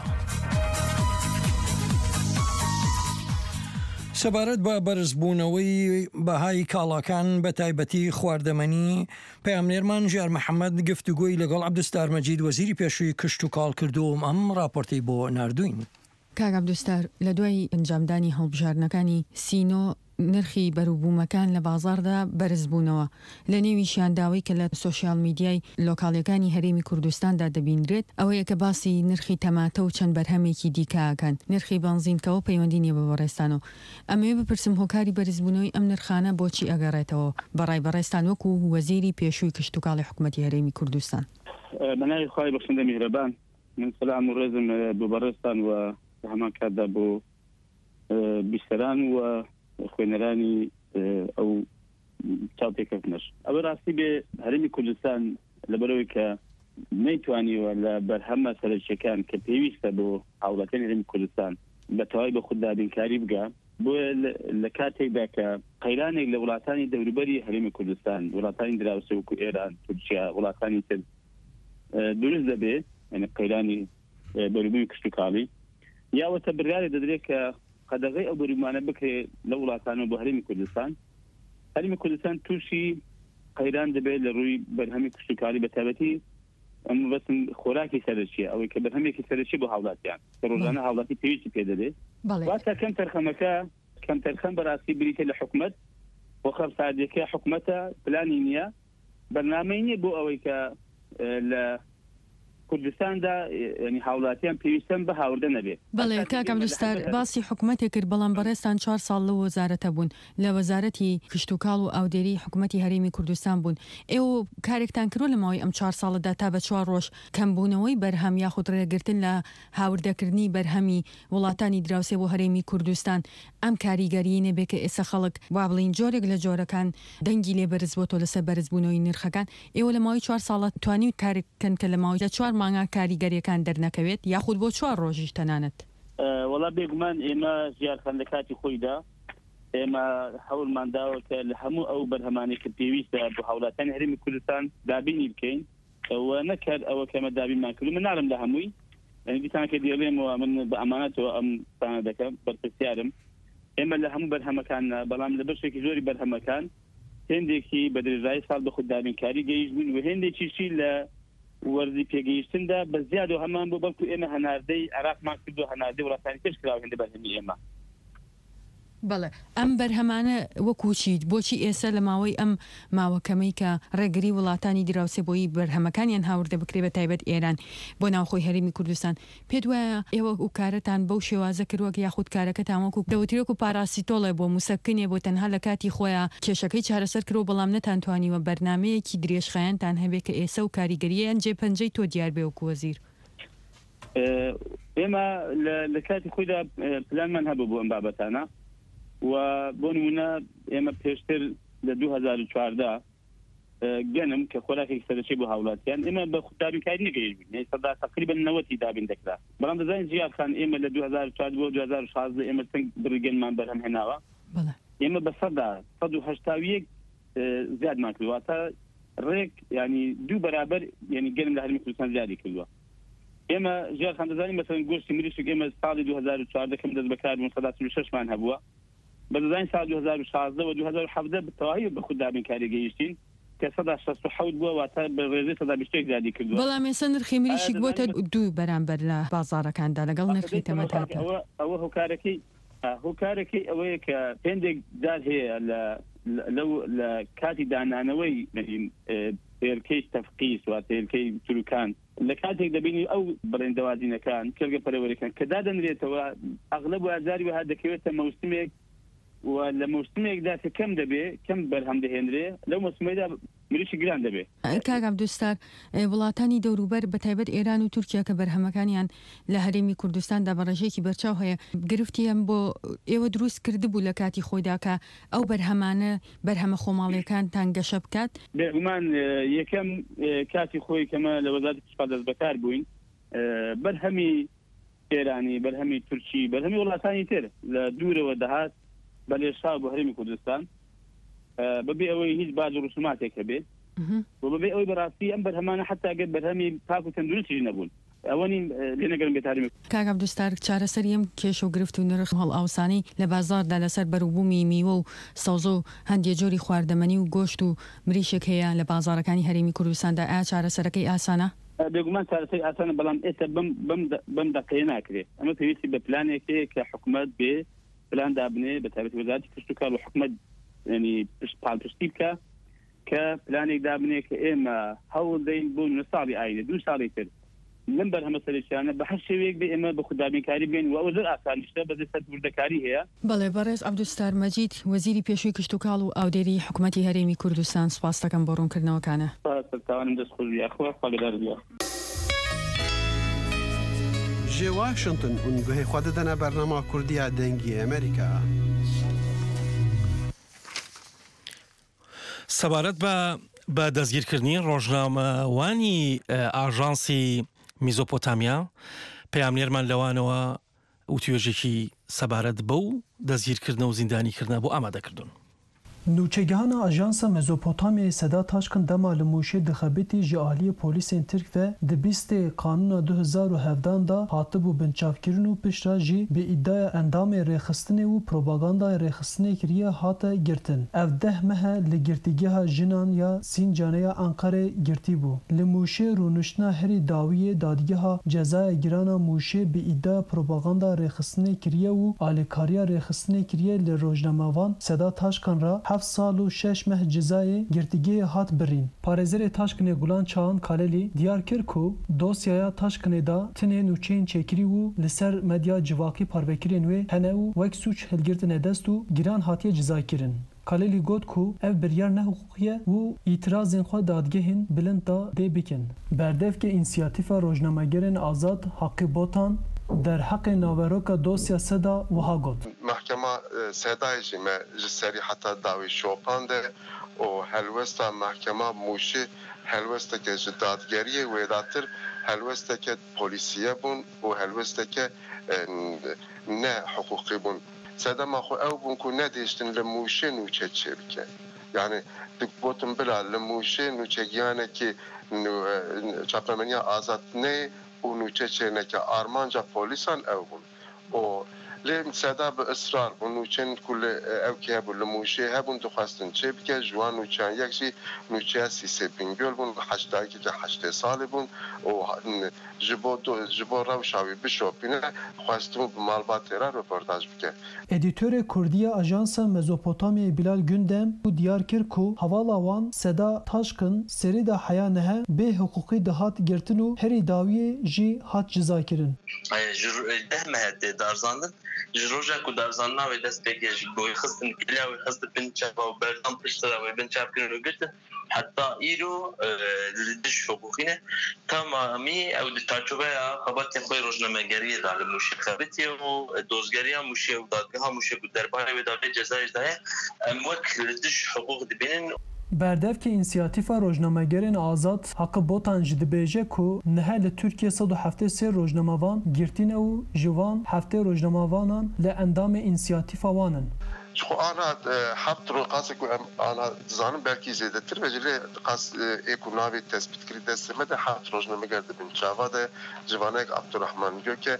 سەبارەت بە بەرزبوونەوەی بەهای کاڵاکان، بە تایبەتی خواردەمەنی، پەیامنێرمان ژیار محەممەد گفتوگۆی لەگەڵ عەبدوستار مەجید، وەزیری پێشووی کشت و کاڵ، کردووە و ئەم ڕاپۆرتەی بۆ ناردووین. کاک عەبدوستار، لە دوای ئەنجامدانی هەڵبژاردنەکانی سینۆ، نرخی بەروبوومەکان لە بازاردا بەرز بوونەوە. لە نێویشیان داوای کە لە سۆشیال میدیای لۆکاڵیەکانی هەرێمی کوردستاندا دەبینرێت، ئەوەیە کە باسی نرخی تەماتە و چەند بەرهەمێکی دیکە ئەکەن. نرخی بەنزین کەەوە پەیوەندی نیە بە بەڕێستانەوە. ئەمەوێ بپرسم، هۆکاری بەرزبوونەوەی ئەم نرخانە بۆچی ئەگەڕێتەوە بەڕای بەڕێستان وەکو وەزیری پێشووی کشت و کاڵی حکوومەتی هەرێمی کوردستان؟ بە ناوی خوای بەخشندە میهرەبان. من سلام و ڕێزم، ئە، بۆ بەڕێستان و لە هەمان کاتدا بۆ، ئە، بیسەران و خوێنەرانی، ئە، ئەو چاوپێکەوتنەش. ئەوە ڕاستی بێ، هەرێمی کوردستان لەبەرەوەی کە نەیتوانیوە لە بەرهەمە سەرەکیەکان کە پێویستە بۆ هاوڵاتیانی هەرێمی کوردستان بە تەواوی بە خود دابینکاری بگا، بۆیە لە، لە کاتێکدا کە قەیرانێک لە وڵاتانی دەوروبەری هەرێمی کوردستان، وڵاتانی دراوسێ وەکو ئێران، تورکیا، وڵاتانی تر، ئە، دروست دەبێ، یعنی قەیرانی، ئە، بەروبووی کشت و کاڵی، یاوەتە بڕیارێک دەدرێت کە قەدەغەی ئەو بەروبوومانە بکرێ لە وڵاتانەوە بۆ هەرێمی کوردستان. هەرێمی کوردستان تووشی قەیران دەبێت لە ڕووی بەرهەمی کشت و کاڵی، بە تایبەتی ئەم بەسم خۆراکی سەرەکیە، ئەوەی کە بەرهەمێکی سەرەکی بۆ هاوڵاتیان، کە ڕۆژانە بەڵێ. هاوڵاتی پێویستی پێ دەبێت. بەڵێ. واتە کەم تەرخەمەکە، کەم تەرخەم بەڕاستی بریتە لە حکومەت، بۆ خەرساردیەکە حکومەتە، پلانی نییە، بەرنامەی نییە بۆ ئەوەی کە، ئە، لە کوردستاندا، ئە، یعنی هاوڵاتیان پێویستن بە هاوردە نەبێت. بەڵێ، ئەساسی کاک ئێمە لە عەبدوستار، هەندێک باسی حکومەتێک کرد، بەڵام بەڕێستان چوار ساڵ لەو وەزارەتە بوون، لە وەزارەتی کشت و کاڵ و ئاودێری حکوومەتی هەرێمی کوردستان بوون. ئێوە کارێکتان کردووە لە ماوەی ئەم چوار ساڵەدا تا بە چوار ڕۆژ کەمبوونەوەی بەرهەم یاخود ڕێگرتن لە هاوردەکردنی بەرهەمی وڵاتانی دراوسێ بۆ هەرێمی کوردستان ئەم کاریگەریی نەبێ کە ئێستا خەڵک، وا بڵین، جۆرێک لە جۆرەکان دەنگی لێ بەرز بۆتەوە لەسەر بەرزبوونەوەی نرخەکان؟ ئێوە لە ماوەی چوار ساڵە توانی و کارێک بکەن کە لە ماوەی چوار مانگە کاریگەریەکان دەرنەکەوێت، یاخود بۆ چوار ڕۆژیش تەنانەت؟ ئە، وەڵا بێگومان ئێمە ژیارخان لە کاتی خۆیدا ئێمە هەوڵمان داوە کە لە هەموو ئەو بەرهەمانەی کە پێویستە بۆ هاوڵاتیانی هەرێمی کوردستان دابینی بکەین. و نەکرد ئەوە کە ئێمە دابینمان کردو. من ناڵێم لە هەمووی، یعنی دیسان کە دێڵێمەوە من بە ئەمانەتەوە ئەم قسانە دەکەم، بەرپرسیارم. ئێمە لە هەموو بەرهەمەکان، بەڵام لە بەشێکی زۆری بەرهەمەکان هێندێکی بە درێژایی ساڵ بە خود دابینکاری گەیشت بوون و هێندێکیشی لە وەرزی پێگەیشتندا بە زیاد و هەمان بوو، بەڵکو ئێمە هەناردەی عێراقمان کردو، هەناردەی وڵاتانی پێش کراوە هێندە بەرهەمی ئێمە. بەڵێ، ئەم بەرهەمانە وەکو چیت؟ بۆچی ئێستا لە ماوەی ئەم ماوە کەمەی کە ڕێگری وڵاتانی دراوسێ بۆی بەرهەمەکانیان هاوردە بکرێ، بە تایبەت ئێران، بۆ ناوخۆی هەرێمی کوردستان؟ پێت وایە ئێوە و کارەتان بەو شێوازە کردووە کە یاخود کارەکەتان وەکو دەوترێ وەکو پاراستیتۆڵێ بۆ موسەکنێ بۆ تەنها لە کاتی خۆیان کێشەکەی چارەسەر کرۆ، بەڵام نەتان توانیوە بەرنمەیەکی درێژخایەنتان هەبێ کە ئێسە و کاریگەریەن جێ پەنجەی تۆ دیار بێ وەکو وەزیر؟ ئێمە لە، لە کاتی خۆیدا، ئە، پلانمان هەبوو بۆ ئەم بابەتانە و بۆ نمونە ئێمە پێشتر لە دوو هەزار و چواردە، ئە، گەنم کە خۆراکێکی سەرەکی بۆ هاوڵاتیان، ئێمە بە خوددابینکاری نەگەیشت بووین، یعنی سەدا تقریبا نەوەتی دابین دەکرا. بەڵام دەزانین ژیار خان، ئێمە لە دوو هەزار و چوار بۆ دوو هەزار و شازدە ئێمە چەند بڕی گەنمان بەرهەم هێناوە. بەڵێ. ئێمە بە سەدا سەد و هەشتا و یەک، ئە، زیادمان کردووە. واتە ڕێک، یعنی دوو بەرابەر، یعنی گەنم لە هەرمی کوردستان زیادی کردووە. ئێمە ژیار خان دەزانین، مەسەلەن گۆشتی مریشک ئێمە ساڵی دوو هەزار و چواردە کەم دەست بەکار بوون، سەدا چل و شەش مان هەبووە. بە دەزانین ساڵ دوو هەزار و شازدە و دوو هەزار و حەڤدە بە تەواوی بە خود دابینکاری گەیشتین کە سەدا شەست و حەوت بووە، واتە بە ڕێژەی سەدا بیست و یەک زیادی کردووە. بەڵام ئێستا نرخی مریشک ئایا بۆتە دەزانین دوو بەرامبەر لە بازارەکاندا لەگەڵ نرخی ئەوە، تەمەتاتە. ئەوە، ئەوە هۆکارەکەی، ئە، هۆکارەکەی ئەوەیە کە هێندێک جار هەیە لە، لە، لەو، لە کاتی دانانەوەی، ئە، هێلکەی تەفقیس، واتە هێلکەی تروکان، لە کاتێک دەبینی ئەو بەڵێن دەوازینەکان، کێلگە پەرەوەریەکان کە دادەنرێتەوە، ئەغلب و ئازاری وەها دەکەوێتە مەوسمێک و لە مەوسمێکدا کە کەم دەبێ، کەم بەرهەم دەهێنرێ، لەو مەوسمەیدا مریشی گران دەبێ. کاک عەبدوستار، ئە، وڵاتانی دەوروبەر، بە تایبەت ئێران و تورکیا کە بەرهەمەکانیان لە هەرێمی کوردستاندا بە ڕێژەیەکی بەرچاو هەیە، گرفتی ئەم بۆ ئێوە دروست کردبوو لە کاتی خۆیدا کە ئەو بەرهەمانە بەرهەمە خۆماڵیەکانتان گەشە بکات؟ بێگومان، ئە، یەکەم، ئە، کاتی خۆی کەمە لە وەزارەتی کشتوکاڵ دەست بەکار بووین، ئە، بەرهەمی ئێرانی، بەرهەمی تورکی، بەرهەمی وڵاتانی تر لە دوورەوە دەهات بە لێشاو بۆ هەرێمی کوردستان، ئە، بەبێ ئەوەی هیچ باج و ڕسوماتێک هەبێ. و بەبێ ئەوەی بەڕاستی ئەم بەرهەمانە حتا گەر بەرهەمی پاک و تەندروستی nebûn. ئەوە نین لێ نەگەرم بێت هەرمی. کاک عەبدولستار، چارەسەری ئەم کێش و گرفت و نرخ هەڵئاوسانی لە بازاردا لەسەر بەروبوومی میوە و سەوزە و هەندێک جۆری خواردەمەنی و گۆشت و مریشک هەیە لە بازارەکانی هەرێمی کوردستاندا، ئایا چارەسەرەکەی ئاسانە؟ بێگومان چارەسەری ئاسانە، بەڵام ئێستا بەم، بەم دە-، بەم دەقەیە ناکرێت. ئەمە پێویستی بە پلانێک هەیە کە حکومەت بێ پلان دابنێ، بە تایبەتی وەزارەتی کشت و کاڵ و حکومەت، یعنی پشت، پاڵپشتی بکە کە پلانێک دابنێ کە ئێمە هەوڵ دەین بۆ نوێ ساڵی ئاینە، دوو ساڵی تر لەم بەرهەمە سەرەکیانە بە هەر شێوەیەک بێ ئێمە بە خودامینکاری بێن و ئەوە زۆر ئاسان نیشتە، بەس لەسەر وردەکاری هەیە. بەڵێ، بەڕێز عەبدولستار مەجید، وەزیری پێشووی کشت و کاڵ و ئاودێری حکومەتی هەرێمی کوردستان، سپاس دەکەم بۆ ڕوونکردنەوەکانە. سەرچاوانم دەست خۆش بی، ئەخوا خوا لەگەڵ بی. Ji Washington hûn guhê xwe didine bernama Kurdiya Dengê Amerîka. سەبارەت بە، بە دەستگیرکردنی ڕۆژنامەوانی، ئە، ئاژانسی میزۆپۆتامیا، پەیامنێرمان لەوانەوە وتوێژێکی سەبارەت بەو دەستگیرکردنە و زیندانیکردنە بۆ ئامادە کردوون. Nûçegihana Ajansa Mezopotamyayê Seda Taşkin dema li Mûşê dixebitî ji aliyê polîsên Tirk ve di bîstê Kanûna du hezar û hevdan de hatibû binçavkirin û piştre jî bi îdiaya endamê rêxistinê û propagandayê rêxistinê kiriye hate girtin. Ev deh meh e li Girtîgeha Jinan ya Sîncanê ya Enqerê girtî bû. Li Mûşê rûniştina herî dawî yê Dadgeha Cezaya Giran a Mûşê bi îdiaya propaganda rêxistinê kiriye û alîkariya rêxistinê kiriye li rojnamevan Seda Taşkan re heft sal û şeş meh cezayê girtîgehê hat birîn. Parêzerê Taşkinê Gulan Çağan Kalelî diyar kir ku dosyaya Taşkinê de tinê nûçeyên çêkirî û li ser medya civakî parvekirên wê hene û wek sûc hilgirtine dest û giran hatiye cezaykirin. Kalelî got ku ev biryar nehiqûqî ye û îtirazên xwe dadgehên bilind de dê bikin. Berdevkê Însiyatîfa Rojnamegerên Azad Haqî Botan derheqê naveroka dosya Seda wiha got. Mahkema, e, Sedayê jî me ji serî heta dawî şopande û helwesta mahkema Mûşê helwesteke ji dadgeriyê wêdatir helwesteke polîsî ye bûn û helwesteke, e, ne hiqûqî bûn. Sedema xwe ew bûn ku nedihiştin li Mûşê nûçe çêbike. Yanî digotin bila li Mûşê nûçegihanekî nû-, e, çapemeniya azad neyê û nûçe çêneke. Armanca polîsan ew bûn. Û lê Seda bi israr bû, nûçeyên ku li, e, ew kê hebû li Mûşê hebûn, dixwestin çêbike, ji wan nûçeyan yek jî nûçeya Sîsê Bingöl bûn, heştayekeke heştê salî bûn û ha-, ji bo do-, ji bo rewşa wî bişopîne, xwestibû bi malbatê re roportaj bike. Edîtorê Kurdî ya Ajansa Mezopotamyayê Bilal Gündem û diyar kir ku hevala wan Seda Taşkin serî de heya nihe bê hiqûqî dihat girtin û herî dawiyê jî hat cizakirin. Ji ro-, deh meh tê darzandin. Ji roja ku darzandina wê dest pê kir, ji ku wê xistin, kiliya wê xistin bin çava û berdan piştre wê bin çav kirin û girtin. Heta îro, e, li dij hiqûqî ne. Tamamî ew di çarçoveya xebatên xwe rojnamegeriyê de li Mûşê xebitiye û dozgeriya Mûşê û dadgeha Mûşê ku derbarê wê de vê cezayê daye, em wek li dij hiqûq dibînin. Berdevkê Însiyatîfa Rojnamegerên Azad Haqî Botan jî dibêje ku niha li Tirkiyê sed û heftê sê rojnamevan girtî ne û ji van heftê rojnamevanan li endamê însiyatîfa wan in. Ji xwe ana, e, heft ro-, qasê ku em ana dizanin belkî zêdetir be jî, lê qas, e, ê ku navê tespîtkirî destê me de heft rojnameger di bin çava de, ji vana yek Abdurrahman Gök e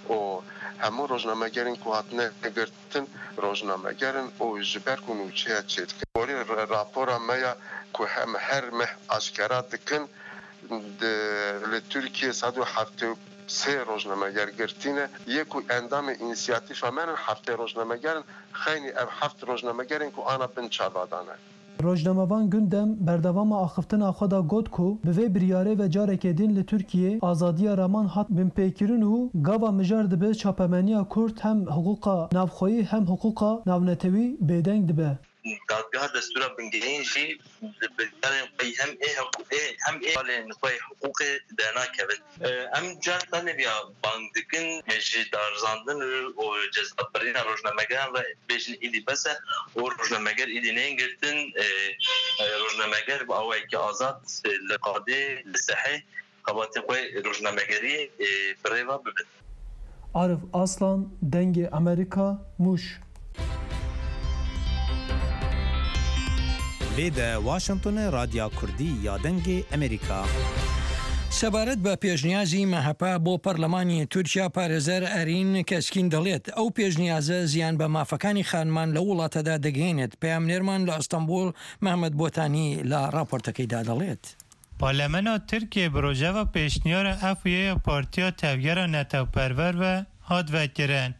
û hemû rojnamegerên ku hatine girtin rojnameger in û ji ber ku nûçeya çêdikin. Gorî ra-, rapora me ya ku em her meh aşkera dikin, di, li Tirkiyê sed û heftê û sê rojnameger girtî ne, yê ku endamê însiyatîfa me ne heftê rojnameger in, xeynî ev heft rojnameger in ku ana bin çava dane. Rojnamevan Gündem berdewama axiftina xwe de got ku bi vê biryarê ve careke din li Tirkiyê azadiya raman hat binpêkirin û gava mijar dibe çapemeniya Kurd hem hiqûqa navxweyî hem hiqûqa navnetewî bêdeng dibe. Dadgeha Destûra Bingehîn jî di biryarên xwe yî hem ê hiqû-, ê, hem ê hevalên xwe yê hiqûqê dernakevin. Em car tenê viya bang dikin, ji darzandin û cezabirîna rojnamegeran re bêjin îdî bes e û rojnameger îdî neyên girtin. E, e, rojnameger bi awayekî azad, e, li qadê, li sehê xebatê xwe rojnamegeriyê, e, bi rê ve bibin. Arif Aslan, Dengê Amerîka, Mûş. Vê de Washington e, Radya Kurdî ya Dengê Amerîka. سەبارەت بە پێشنیازی مەهەپە بۆ پەرلەمانی تورکیا، پارێزەر ئەرین کەسکین دەڵێت ئەو پێشنیازە زیان بە مافەکانی خانمان لە وڵاتەدا دەگەێنێت. پەیامنێرمان لە ئەستەنبول، مەحمەد بۆتانی، لە راپۆرتەکەیدا دەڵێت. Parlamena Tirkiyê bi rojeva pêşniyara Efûyê ya Partiya Tevgera Netewperwer ve hat vekirin.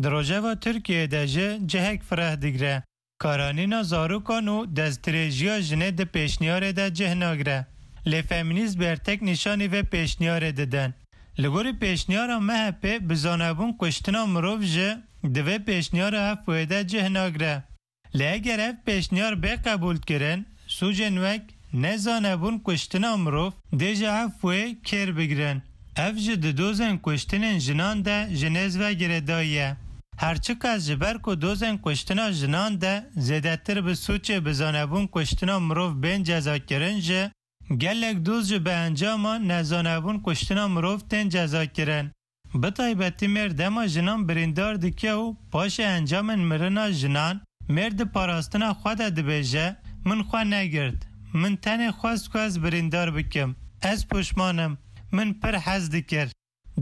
Di rojeva Tirkiyê de jî cihek fireh digre. Karanîna zarokan û destdirêjiya jinê di pêşniyarê de cih nagire. Lê femînîst bertek nîşanî vê pêşniyarê didin. Li gorî pêşniyara M H P bi zanebûn kuştina mirov jî di vê pêşniyara Efûyê de cih nagire. Lê eger ev pêşniyar bê qebûlkirin, sûcên wek nezanebûn kuştina mirov dê ji Efûyê kêr bigirin. Ev jî di dozên kuştinên jinan de ji nêz ve girêdayî ye. Her çiqas ji ber ku dozên kuştina jinan de zêdetir bi sûcê bi zanebûn kuştina mirov bên cezakirin jî, gelek doz jî bi encama nezanebûn kuştina mirov tên cezakirin. Bi taybetî mêr dema jinan birîndar dike û paşê encamên mirina jinan, mêr di parastina xwe de dibêje, Min xwe negirt. Min tenê xwest ku ez birîndar bikim. Ez poşman im. Min pir hez dikir.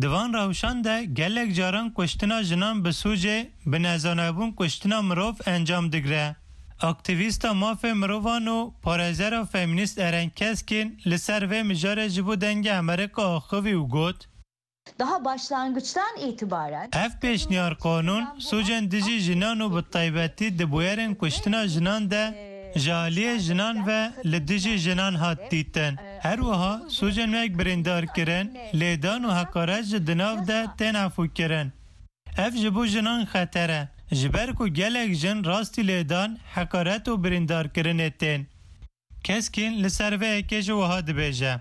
Di van rewşan de gelek caran kuştina jinan bi sûcê bi nezanebûn kuştina mirov encam digre. Aktîvîsta mafê mirovan û parêzera femînîst Eren Keskin li ser vê mijarê ji bo Dengê Amerîka axivî û got, Daha başlangıçtan itibaren Ev pêşniyar qanûn sûcên dijî jinan û bi taybetî di bûyerên kuştina jinan de ji aliyê jinan ve li dijî jinan hat dîtin. Her wiha sûcên wek birîndarkirin, lêdan û heqaret ji di nav de tên efûkirin. Ev ji bo jinan xeter e, ji ber ku gelek jin rastî lêdan, heqaret û birîndarkirinê tên. Keskin li ser vê yekê jî wiha dibêje.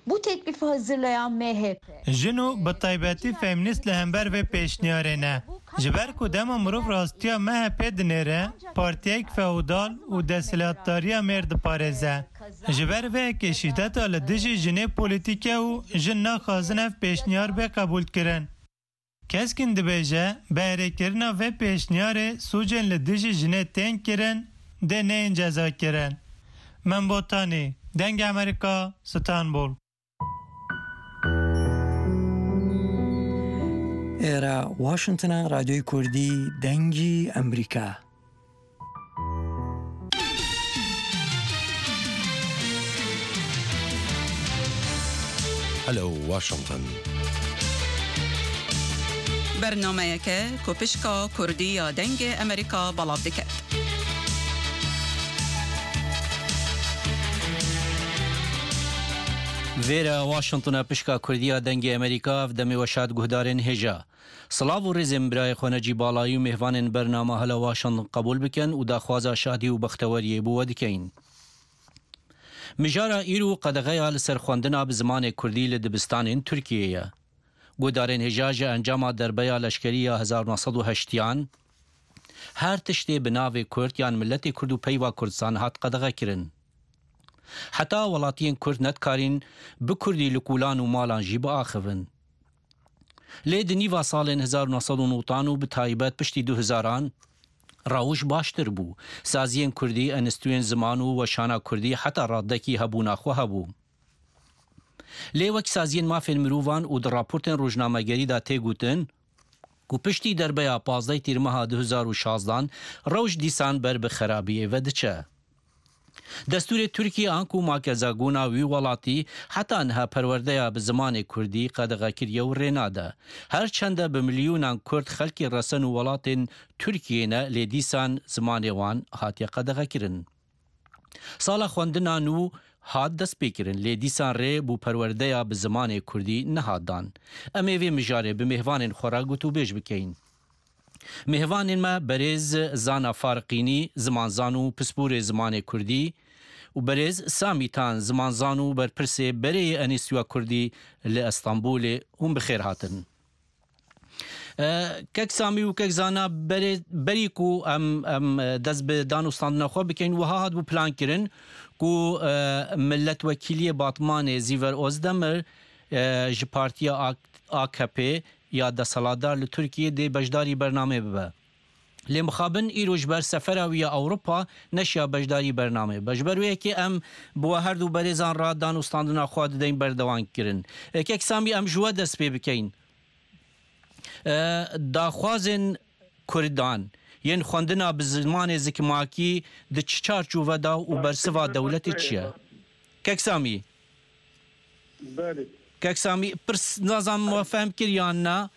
Bu teklifi hazırlayan M H P. Jin û bi taybetî femînîst li hember vê pêşniyarê ne. Ji ber ku dema mirov rastiya M H P dinêre, partiyek feodal û desthilatdariya mêr diparêze. Ji ber vê yekê şîdeta li dijî jinê polîtîk e û jin naxwazin ev pêşniyar bê qebûlkirin. Keskin dibêje, bi erêkirina vê pêşniyarê sûcên li dijî jinê tên kirin, dê neyên cezakirin. Min Botanî, Dengê Amerîka, Stenbol. ئێرە واشنگتنە، رادیۆی کوردی، دەنگی ئەمریکا. Hello Washington. Bernameyeke ku pişka Kurdî ya Dengê Amerîka belav dike. Vêre Washington e, pişka Kurdî ya Dengê Amerîka, ev demê we şad guhdarên hêja. Silav û rêzên birayê xwe Necî Balayî û mêvanên bernama Hela Washington qebûl bikin û daxwaza şadî û bexteweriyê bo we dikeyin. Mijara îro qedexeya li ser xwendina bi zimanê kurdî li dibistanên Tirkiyê ye. Guhdarên hêja ji encama derbeya leşkerî ya hezar neh sed û heştiyan, her tiştê bi navê kurd yan miletê kurd û peyva Kurdistan hat qedexekirin. Heta welatiyên kurd nedikarîn bi kurdî li kûlan û malan jî biaxivin. Lê di nîva salên hezar neh sed û newtan û bi taybet piştî du hezaran rewş baştir bû. Saziyên kurdî, enstitûyên ziman û weşana kurdî heta radekî hebûna xwe hebû. Lê wek saziyên mafên mirovan û di raportên rojnamegerî de tê gotin ku piştî derbeya pazdeh tîrmeha du hezar û şazdan rewş dîsan ber bi xerabiyê ve diçe. Destûrê Tirkiyê anku makezagona wî welatî heta niha perwerdeya bi zimanê kurdî qedexe kiriye û rê nade. Her çende bi milyonan kurd xelkê resen û welatên Tirkiyê ne, lê dîsan zimanê wan hatiye qedexekirin. Sala xwendina nû hat destpêkirin, lê dîsan rê bo perwerdeya bi zimanê kurdî nehat dan. Em ê vê mijarê bi mêvanên xwe re gotûbêj bikeyin. Mêvanên me berêz Zana Fariqînî, zimanzan û pisporê zimanê kurdî, û berêz Samî Tan, zimanzan û berpirsê berê yê Enîstîtuya Kurdî li Estenbolê, hûn bi xêr hatin. E, Kek Samî û Kek Zana, berê, berî ku em, em, e, dest bi dan û standina xwe bikeyin, wiha hatibû plankirin ku, e, Miletwekîliyê Batmanê Zîver Ozdemir, e, ji Partiya A-, A K P ya desthilatdar li Tirkiyê dê beşdarî bernamê bibe. Lê mixabin îro ji ber sefera wî ya Ewropa neşiya beşdarî bernameyê be. Ji ber wê yekê em bi we her du berêzan re dan û standina xwe dideyn berdewam kirin. E, Kek Samî, em ji we dest pê bikeyin. E, daxwazên Kurdan yên xwendina bi zimanê zikmakî di çi çarçove de û bersiva dewletê çi ye? Kek Samî. Belê. Kek Samî, pirs, nazam we fehm kir yan na?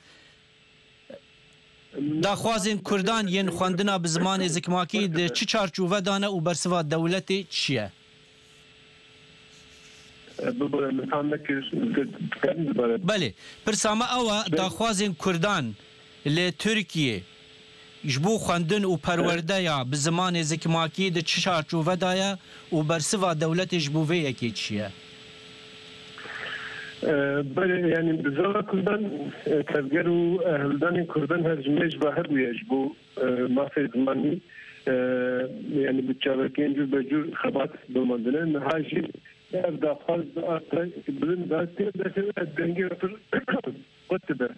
Daxwazên Kurdan yên xwendina bi zimanê zikmakî di çi çarçove de ne û bersiva dewletê çi ye? Bibore, min tam nekir, dikarim dubare? Belê. Pirsa me ew e, daxwazên Kurdan li Tirkiyê ji bo xwendin û perwerdeya bi zimanê zikmakî di çi çarçove de ye û bersiva dewletê ji bo vê yekê çi ye? E, belê, yani bi zana Kurdan, e, tevger û, e, hildanên Kurdan her ji me ji ve hebûye ji bo, e, mafê zimanî, e, yani bi çavekên cûr be cûr xebat domandine. Niha jî ev daxwaz di asta bilind de tê de dengê pir qut dibe.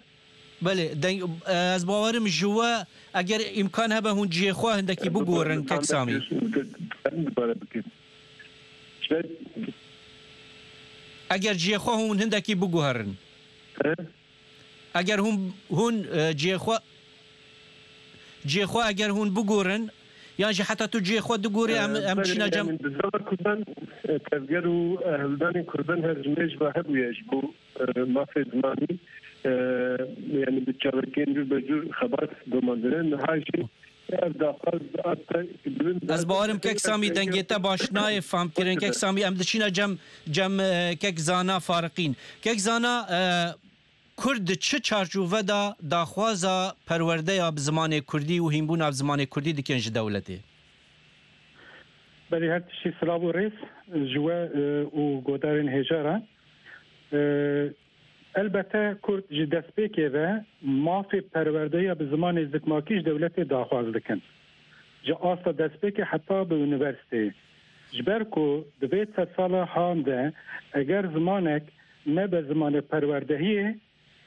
Belê, deng-, e, ez bawerim ji we, eger îmkan hebe hûn cihê xwe hindekî bigorin, Kek Samî. Dikarim dubare bikin. Eger cihê xwe hûn hindekî biguherin. He? Eger hûn, hûn, e, cihê xwe, cihê xwe eger hûn bigurin, yan jî heta tu cihê xwe digorî, em, em diçîne cem. Bi zana Kurdan, e, tevger û, e, hildanên Kurdan her ji me ji ve hebûye ji bo, e, mafê zimanî, e, yani bi çavekên cûr be cûr xebat domandine. Niha jî ev daxwaz asta bilind. Ez bawerim Kek Samî dengê te baş nayê fam kirin. Kek Samî, em diçîne cem, cem, e, Kek Zana Fariqîn. Kek Zana, e, Kurd di çi çarçove de daxwaza perwerdeya bi zimanê kurdî û hînbûna bi zimanê kurdî dikin ji dewletê? Belê, her tiştî silav û rêz ji we, e, û godarên hêja re. E, elbete Kurd ji destpêkê ve mafê perwerdeya bi zimanê zikmakî ji dewletê daxwaz dikin. Ji asta destpêkê heta bi unîversîteyê. Ji ber ku di vê sedsala han de eger zimanek nebe zimanê perwerdehiyê,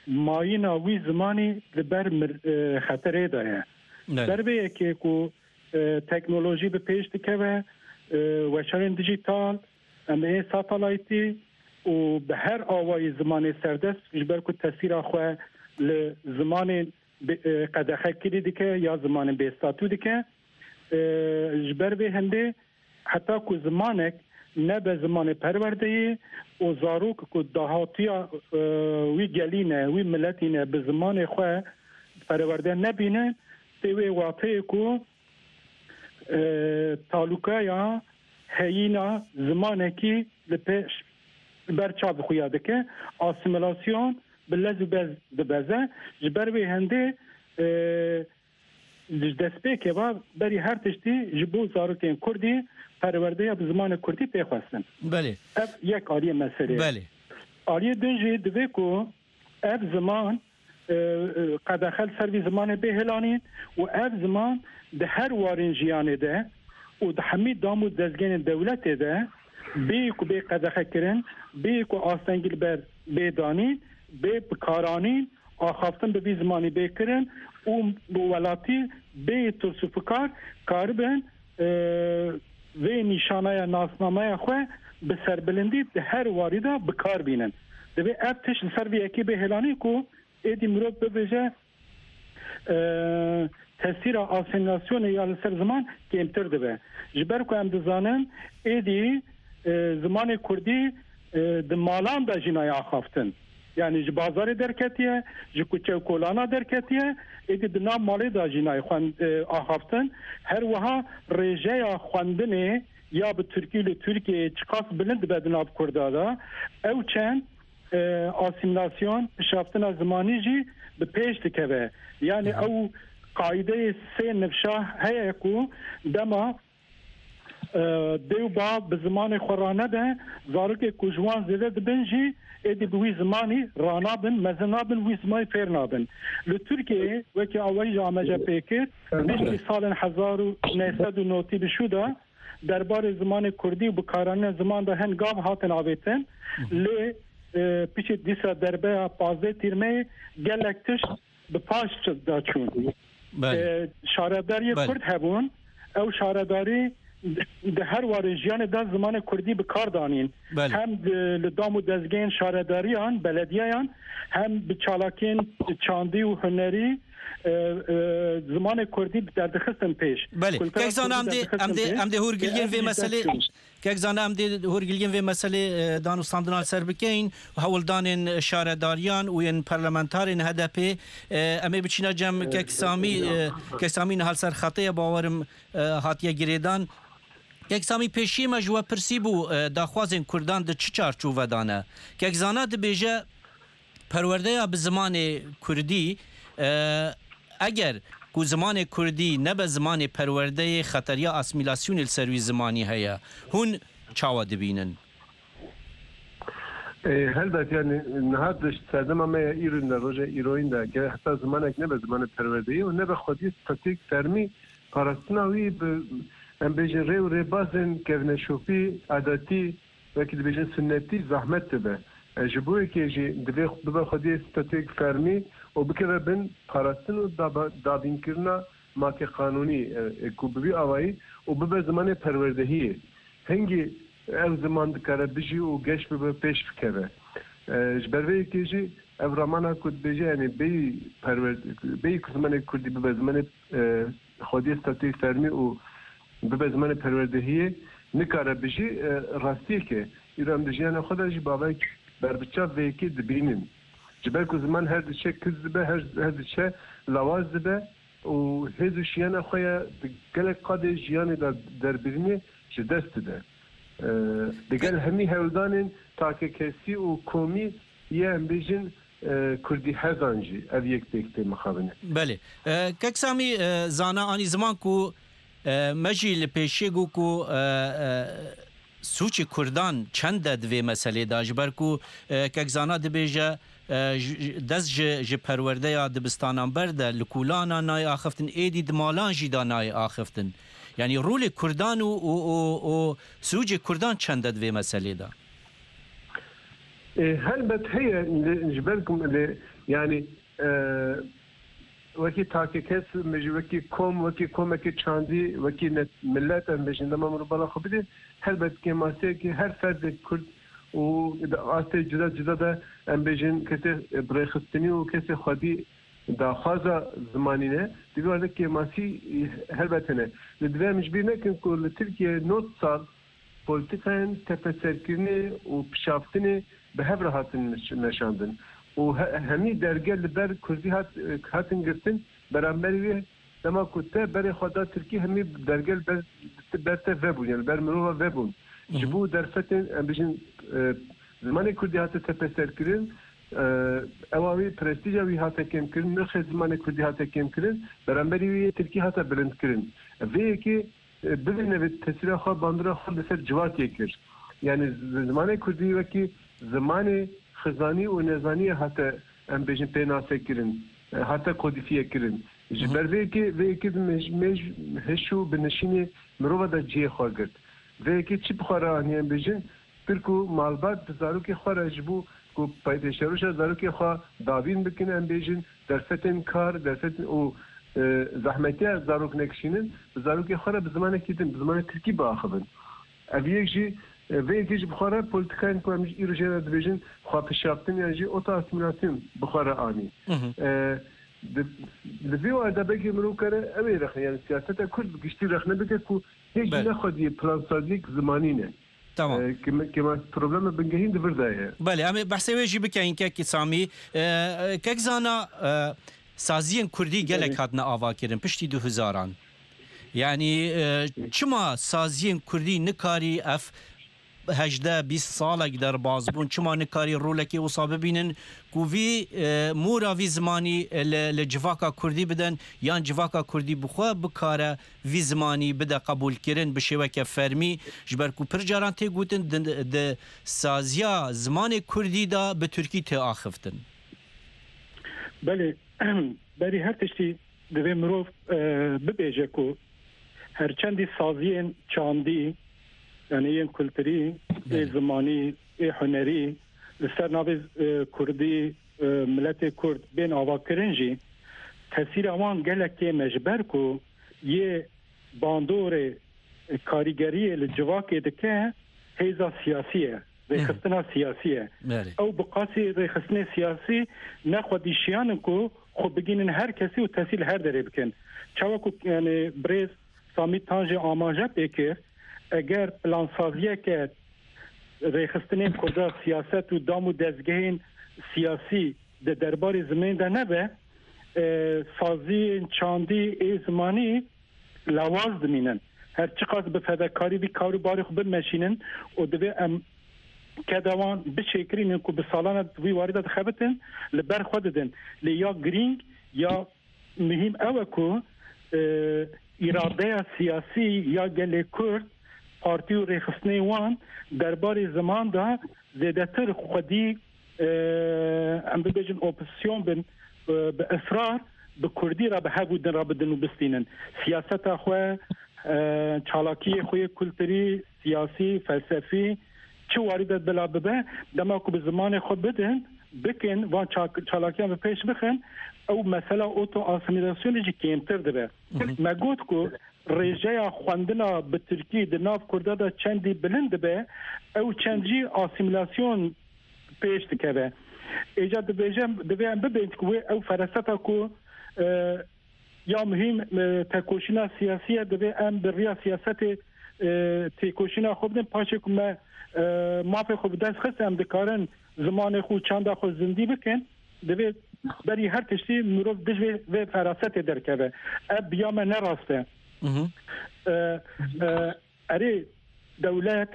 mayîna wî zimanî li ber mir-, e, xeterê de ye. Belê. Ber vê yekê ku, e, teknolojî bi pêş dikeve, e, weşanên dijîtal, em ê satelaytî û bi her awayî zimanê serdest, ji ber ku tesîra xwe li zimanên bi-, e, qedexe kirî dike ya zimanên bêstatû dike. E, ji ber vê hindê heta ku zimanek nebe zimanê perwerdeyê û zarok ku dahatiya, e, wî gelî ne, wî miletî ne, bi zimanê xwe perwerde nebîne, tê wê wateyê ku, e, talûkaya heyîna zimanekî li pêş, li ber çav xuya dike, asîmîlasyon bi lez û bez dibeze. Ji ber wê hindê, e, Ji destpêkê ve berî her tiştî ji bo zarokên kurdî perwerdeya bi zimanê kurdî tê xwestin. Belê. Ev yek aliyê meselê. Belê. Aliyê din jî divê ku ev ziman, e, e, qedexe li ser vî zimanê bê hilanîn û ev ziman di her warên jiyanê de û di hemî dam û dezgehên dewletê de bê ku bê qedexekirin, bê ku astengî li ber bê danîn, bê bikaranîn, axaftin bi vî zimanî bê kirin û bi welatî bê tirs û fikar karibin, e, vê nîşanaya nasnameya xwe bi serbilindî di her warî de bi kar bînin. Divê ev tişt li ser vê yekê bê hêlanî ku êdî mirov bibêje, e, tesîra asîmîlasyonê ya li ser ziman kêmtir dibe. Ji ber ku em dizanin, êdî, e, zimanê kurdî, e, di malan de jî nayê axaftin. Yanî ji bazarê derketiye, ji kuçe û kolana derketiye, êdî di nav malê de jî nayê xwend-, e, axaftin. Her wiha rêjeya xwendinê ya bi tirkî li Tirkiyeyê çiqas bilind dibe di nav kurda de, ew çend e, asîmîlasyon, pişaftina zimanî jî bi pêş dikeve. Yanî ew qaîdeyê sê nifşa heye ku dema, e, dê û bav bi zimanê xwe ranebe, zarokê ku ji wan zêde dibin jî êdî bi wî zimanî ranabin, mezin nabin, wî zimanî fêr nabin. Li Tirkiyeyê wekî awayî jî ameje pê kir, piştî salên hezar û neh sed û notî bi şû de, derbarê zimanê kurdî û bikaranîna ziman de hin gav hatin avêtin. Lê, e, piştî dîsa derbeya pazdeh Tîrmeyê gelek tişt bi paş çi-, de çûn. Belê. E, şaredariyê Belê. Kurd hebûn. Ew şaredarî di her warê jiyanê de zimanê kurdî bi kar danîn. Belê. Hem di, li dam û dezgehên şaredariyan, belediyeyan, hem bi çalakiyên çandî û hunerî, e, e, zimanê kurdî derdixistin pêş. Belê. Kultura Kek Zana, kurdî em dê, derdixistin em dê, pêş. Em dê hûrgiliyên Ev vê jî meselê dest pêş. Kek Zana, em dê hûrgiliyên vê meselê, e, danûstandina li ser bikeyin, hewldanên şaredariyan û yên parlamentarên H D P, e, em ê biçîna cem Kek Samî, e, Kek Samî niha li ser xetê ye, bawerim, e, hatiye girêdan. Kek Samî, pêşiyê me ji we pirsî bû, e, daxwazên Kurdan di çi çarçovedan e? Kek Zana dibêje, perwerdeya bi zimanê kurdî, e, eger ku zimanê kurdî nebe zimanê perwerdeyê, xeteriya asîmîlasyonê li ser wî zimanî heye. Hûn çawa dibînin? E, helbet, yani, niha di serdema me ya îro de, roja îroyîn de, ger heta zimanek nebe zimanê perwerdeyê û nebe xwediyê statûyek fermî, parastina wî bi, em bêjin, rê û rêbazên kevneşopî, adetî, wekî dibêjin sunnetî, zehmet dibe. E, ji bo yekê jî divê bibe xwediyê statûyek fermî û bikeve bin parastin û daba-, dabînkirina makê qanûnî, e, e, ku bi vî awayî û bibe zimanê perwerdehiyê. Hingî ev ziman dikare bijî û geş bibe, pêş bikeve. E, ji ber vê yekê jî ev ramana ku dibêje, yani bêyî perwer-, bêyî ku zimanê kurdî bibe zimanê, e, xwediyê statûyê fermî û bibe zimanê perwerdehiyê, nikare bijî, e, rastiyek e. Îro em di jiyana xwe de jî bavek berbiçav vê yekê dibînin. Ji ber ku ziman her diçe kiz dibe, her, her diçe lawaz dibe, û hêz û şiyana xwe ya di gelek qadê jiyanê de derbirînê ji dest dide. Ee, digel hemî hewldanên takekesî û komî yê, em bêjin, e, kurdî hezan jî ev yek pêk tê mixabin e. Belê. E, Kek Samî, e, Zana anî ziman ku, e, me jî li pêşiyê got ku, e, e, sûcê Kurdan çend e di vê meselê de, ji ber ku, e, Kek Zana dibêje, e, ji, ji, dest ji, ji perwerdeya dibistanan ber de li kûlana nayê axiftin, êdî di malan jî de nayê axiftin. Yanî rolê Kurdan û, û, û, û sûcê Kurdan çend e di vê meselê de? E, helbet heye, li, ji ber ku li, yanî, e, wekî takekes, em bêjin, wekî kom, wekî komekî çandî, wekî ne-, milet, em bêjin, dema mirov bala xwe bidê, helbet kêmasiyekî her ferdek Kurd û di astê cuda cuda de, em bêjin, kesê birêxistinî û kesê xwedî daxwaza zimanî ne, di vî werde kêmasî, e, helbet hene. Lê divê em ji bîr nekin ku li Tirkiye nod sal polîtîkayên tepeserkirinê û pişaftinê bi hev re hatin meş-, meşandin û he-, hemî derge li ber kurdî hat, hatin girtin, beramberî wê dema ku te berê xwe da tirkî, hemî derge li ber, ber te vebûn, yani ber mirova vebûn. Hı hı. Ji bo derfetên, em bijin, e, zimanê kurdî hate tepeserkirin, e, ewa wî, prestîja wî hate kêmkirin, nirxê zimanê kurdî hate kêmkirin, beramberî wê yê tirkî hate bilindkirin. Vê yekê e, bibîne vê tesîra xwe, bandora xwe li ser civakê kir. Yani z-, zimanê kurdî wekî zimanê xizanî û nezaniyê hate, em bêjin, pênasekirin, e, hate kodîfiyekirin. Ji Hı hı. ber vê yekê, vê yekê bi mêj-, mêj-, hişû binişînê mirova de cihê xwe girt. Vê yekê çi bi xwe re anî, em bêjin, Tirk û malbat bi zarokê xwe re ji bo ku pey-, pêşeroja zarokê xwe dabîn bikin, em bêjin, derfetên kar, derfetên û, e, zehmetiya zarok nekişînin, bi zarokê xwe re bi zimanekî din, bi zimanê tirkî biaxivin. Ev yek jî, e, vê yekê jî bi xwe re polîtikayên ku em îro jê re dibêjin, xwepişaftin yan jî oto-asîmîlasyon bi xwe re anî. Hı hı. E, di, li vî warda belkî mirov kare ew ê rexne, yani siyaseta Kurd bi giştî rexne bike ku Hêj Belê. ne xwediyê plansaziyek zimanî ne. Tamam. E, kêma-, kêma problema bingehîn di vir de ye. Belê, em ê behsê wê jî bikeyin, Kek Samî. E, e, Kek Zana, e, saziyên kurdî gelek Belê. hatine avakirin piştî du hezaran. Yani, e, çima saziyên kurdî nikarî ev hejdeh bîst salek derbas bûn, çima nikarî rolekê wisa bibînin ku vî, e, mora vî zimanî, e, li, li civaka kurdî bidin, yan civaka kurdî bi xwe bikare vî zimanî bide qebûlkirin bi şêweke fermî, ji ber ku pir caran tê gotin, di, di saziya zimanê kurdî de bi tirkî tê axiftin? Belê, berî her tiştî divê mirov, e, bibêje ku herçendî saziyên çandî, yani yên kulturî, ê Belê. zimanî, ê hunerî, li ser navê, e, kurdî, e, miletê kurd bên avakirin jî, tesîra wan gelek kêm e, ji ber ku yê bandorê karîgeriyê li civakê dike hêza siyasî ye, rêxistina siyasî ye. Belê. Ew bi qasî rêxistinê siyasî ne xwedî şiyan in ku xwe bigînin her kesî û tesîl her derê bikin. Çawa ku, yani, birêz Samî Tan jî amaje pê kir, eger plansaziyeke rêxistinên Kurda siyaset û dam û dezgehên siyasî di derbarê zimanê de nebe, e, saziyên çandî ê zimanî lawaz dimînin. Her çiqas bi fedekarî vî kar û barê xwe bimeşînin û divê em keda wan bişêkirînin ku bi salan e di vî warî de dixebitin, li ber xwe didin. Lê ya girîng, ya muhîm ew e ku, e, îradeya siyasî ya gelê Kurd, partî û rêxistinên wan derbarê ziman de zêdetir xwedî, e, em bibêjin opozisyon bin, e, bi israr bi kurdî re bi hev û din re bidin û bistînin. Siyaseta xwe, e, çalakiyê xwe yê kulturî, siyasî, felsefî, çi warî de bila bibe, dema ku bi zimanê xwe bidin, bikin, van ça-, çalakiyan bi pêş bixin, ew mesela oto-asîmîlasyonê jî kêmtir dibe. Hı hı. Me got ku rêjeya xwendina bi tirkî di nav Kurda de çendî bilind dibe, ew çend jî asîmîlasyon pêş dikeve. Êca dibêje, divê em bibên ku wê ew fereseta ku, e, ya muhîm, e, tekoşîna siyasî ye, divê em bi riya siyasetê, e, têkoşîna xwe bidin. Paşê ku me, e, mafê xwe bi dest xist, em dikarin zimanê xwe û çanda xwe zindî bikin. Divê berî her tiştî mirov dij vê, vê ferasetê derkeve. Ev bi ya me ne rast e. Hı hı. E, e, erê dewlet,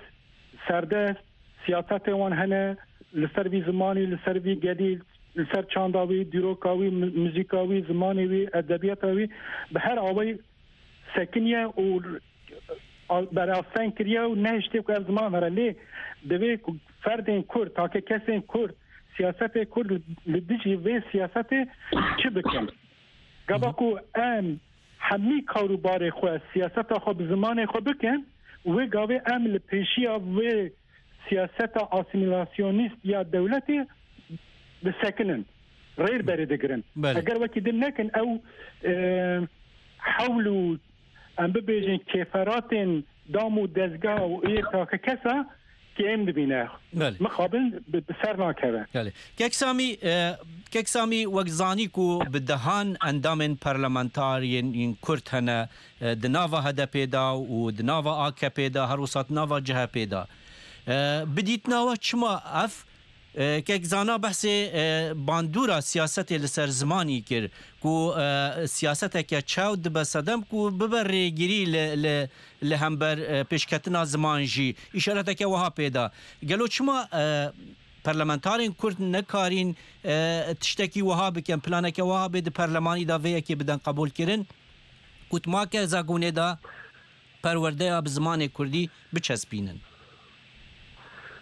serdest, siyasetê wan hene, li ser vî zimanî, li ser vî gelî, li ser çanda wî, dîroka wî, mi-, muzîka wî, zimanê wî, edebiyata wî, bi her awayî sekiniye û a-, berasteng kiriye û nehiştiye ku ev ziman here. Lê divê ku ferdên Kurd, takekesên Kurd, siyasetê Kurd li, li dijî vê siyasetê çi bikin? Gava ku em hemî kar û barê xwe, siyaseta xwe bi zimanê xwe bikin, wê gavê em li pêşiya vê siyaseta asîmîlasyonîst ya dewletê disekinin, rêr berê digirin. Belê. Eger wekî din nekin, ew, e, hewl û, em bibêjin, kêferatên dam û dezga û ê takekesa kêm dibîne. Belê. Mixabin bi, bi ser nakeve. Belê. Kek Samî, e, Kek Samî, wek zanî ku bi dehan endamên parlamentar yên, yên Kurd hene, e, di nava H D P de û di nava A K P de, her wisa di nava C H P de. E, bi dîtina we çima ev, e, kek Zana behsê, e, bandora siyasetê li ser zimanî kir, ku, e, siyaseteke çew dibe sedem ku bibe rêgirî li, li, li hember, e, pêşketina ziman jî. Îşareteke wiha pê da. Gelo çima, e, parlamentarên Kurd nekarîn, e, tiştekî wiha bikin, planeke wiha bê di perlemanî de vê yekê bidin qebûlkirin, ku di maka Zagûnê de perwerdeya bi zimanê Kurdî biçespînin?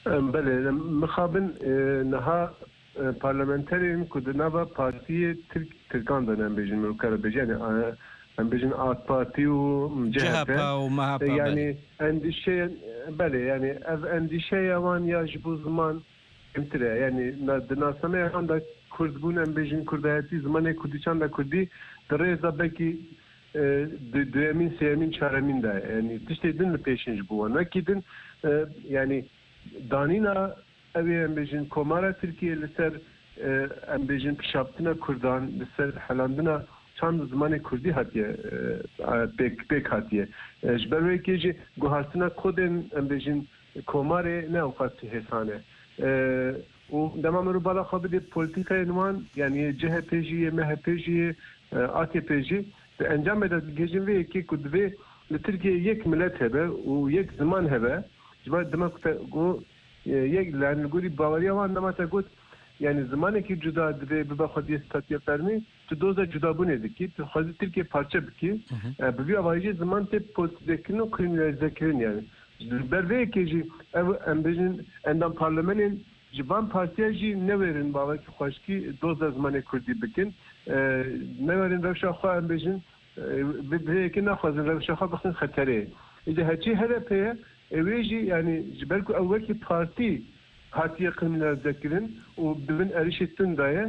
Em, belê, em, mixabin, e, niha, e, parlamenterên ku di nava partiyê Tirk, Tirkan de ne, em bêjin, mirov kare bêje, yani, e, em bêjin AK Partî û C H P. C H P û M H P, E, yani, belê. Endîşeya, belê, yani, ev endîşeya wan ya ji bo ziman kêmtir e. Yani, na, di nasameya wan de Kurdbûn, em bêjin, Kurdayetî, zimanê Kurdî, çanda Kurdî, di rêza belkî, e, du-, duyemîn, sêyemîn, çaremîn de ye. Yani, tiştê din li pêşin ji bo wan. Wekî din, e, yani, danîna ew ê, em bêjin, Komara Tirkiyê li ser, e, em bêjin, pişaptina Kurdan, li ser helandina çand û zimanê Kurdî hatiye, e, pêk, pêk hatiye. E, ji ber wê yekê jî guhartina kodên, em bêjin, komarê ne ewqas hêsan e. E, û dema mirov bala xwe bidê polîtîkayên wan, yani yê C H P jî, yê M H P jî, yê, e, A K P jî, di encamê de digihîjin vê yekê ku divê li Tirkiyeyê yek milet hebe û yek ziman hebe. Ji ber dema ku te got, e, yek, yani li gorî baweriya wan, dema te got, yani zimanekî cuda divê bibe xwediyê statûya fermî, tu doza cudabûnê dikî, tu xwezî Tirkiye parçe bikî. Hı hı. E, bi vî awayî jî ziman tê politizekirin û kriminalizekirin yani. Ji ber vê yekê jî ev, em bêjin, endam parlamenên ji van partiya jî newêrin bawekî xweşkî doza zimanê kurdî bikin. E, newêrin rewşa xwe, em bêjin, e, bi, bi vê yekê naxwazin rewşa xwe bixin xeterê. Îca heçî H D P ye, e, wê jî, yani, ji ber ku ew wekî partî hatiye kriminalize kirin û di bin êrişê tund de ye,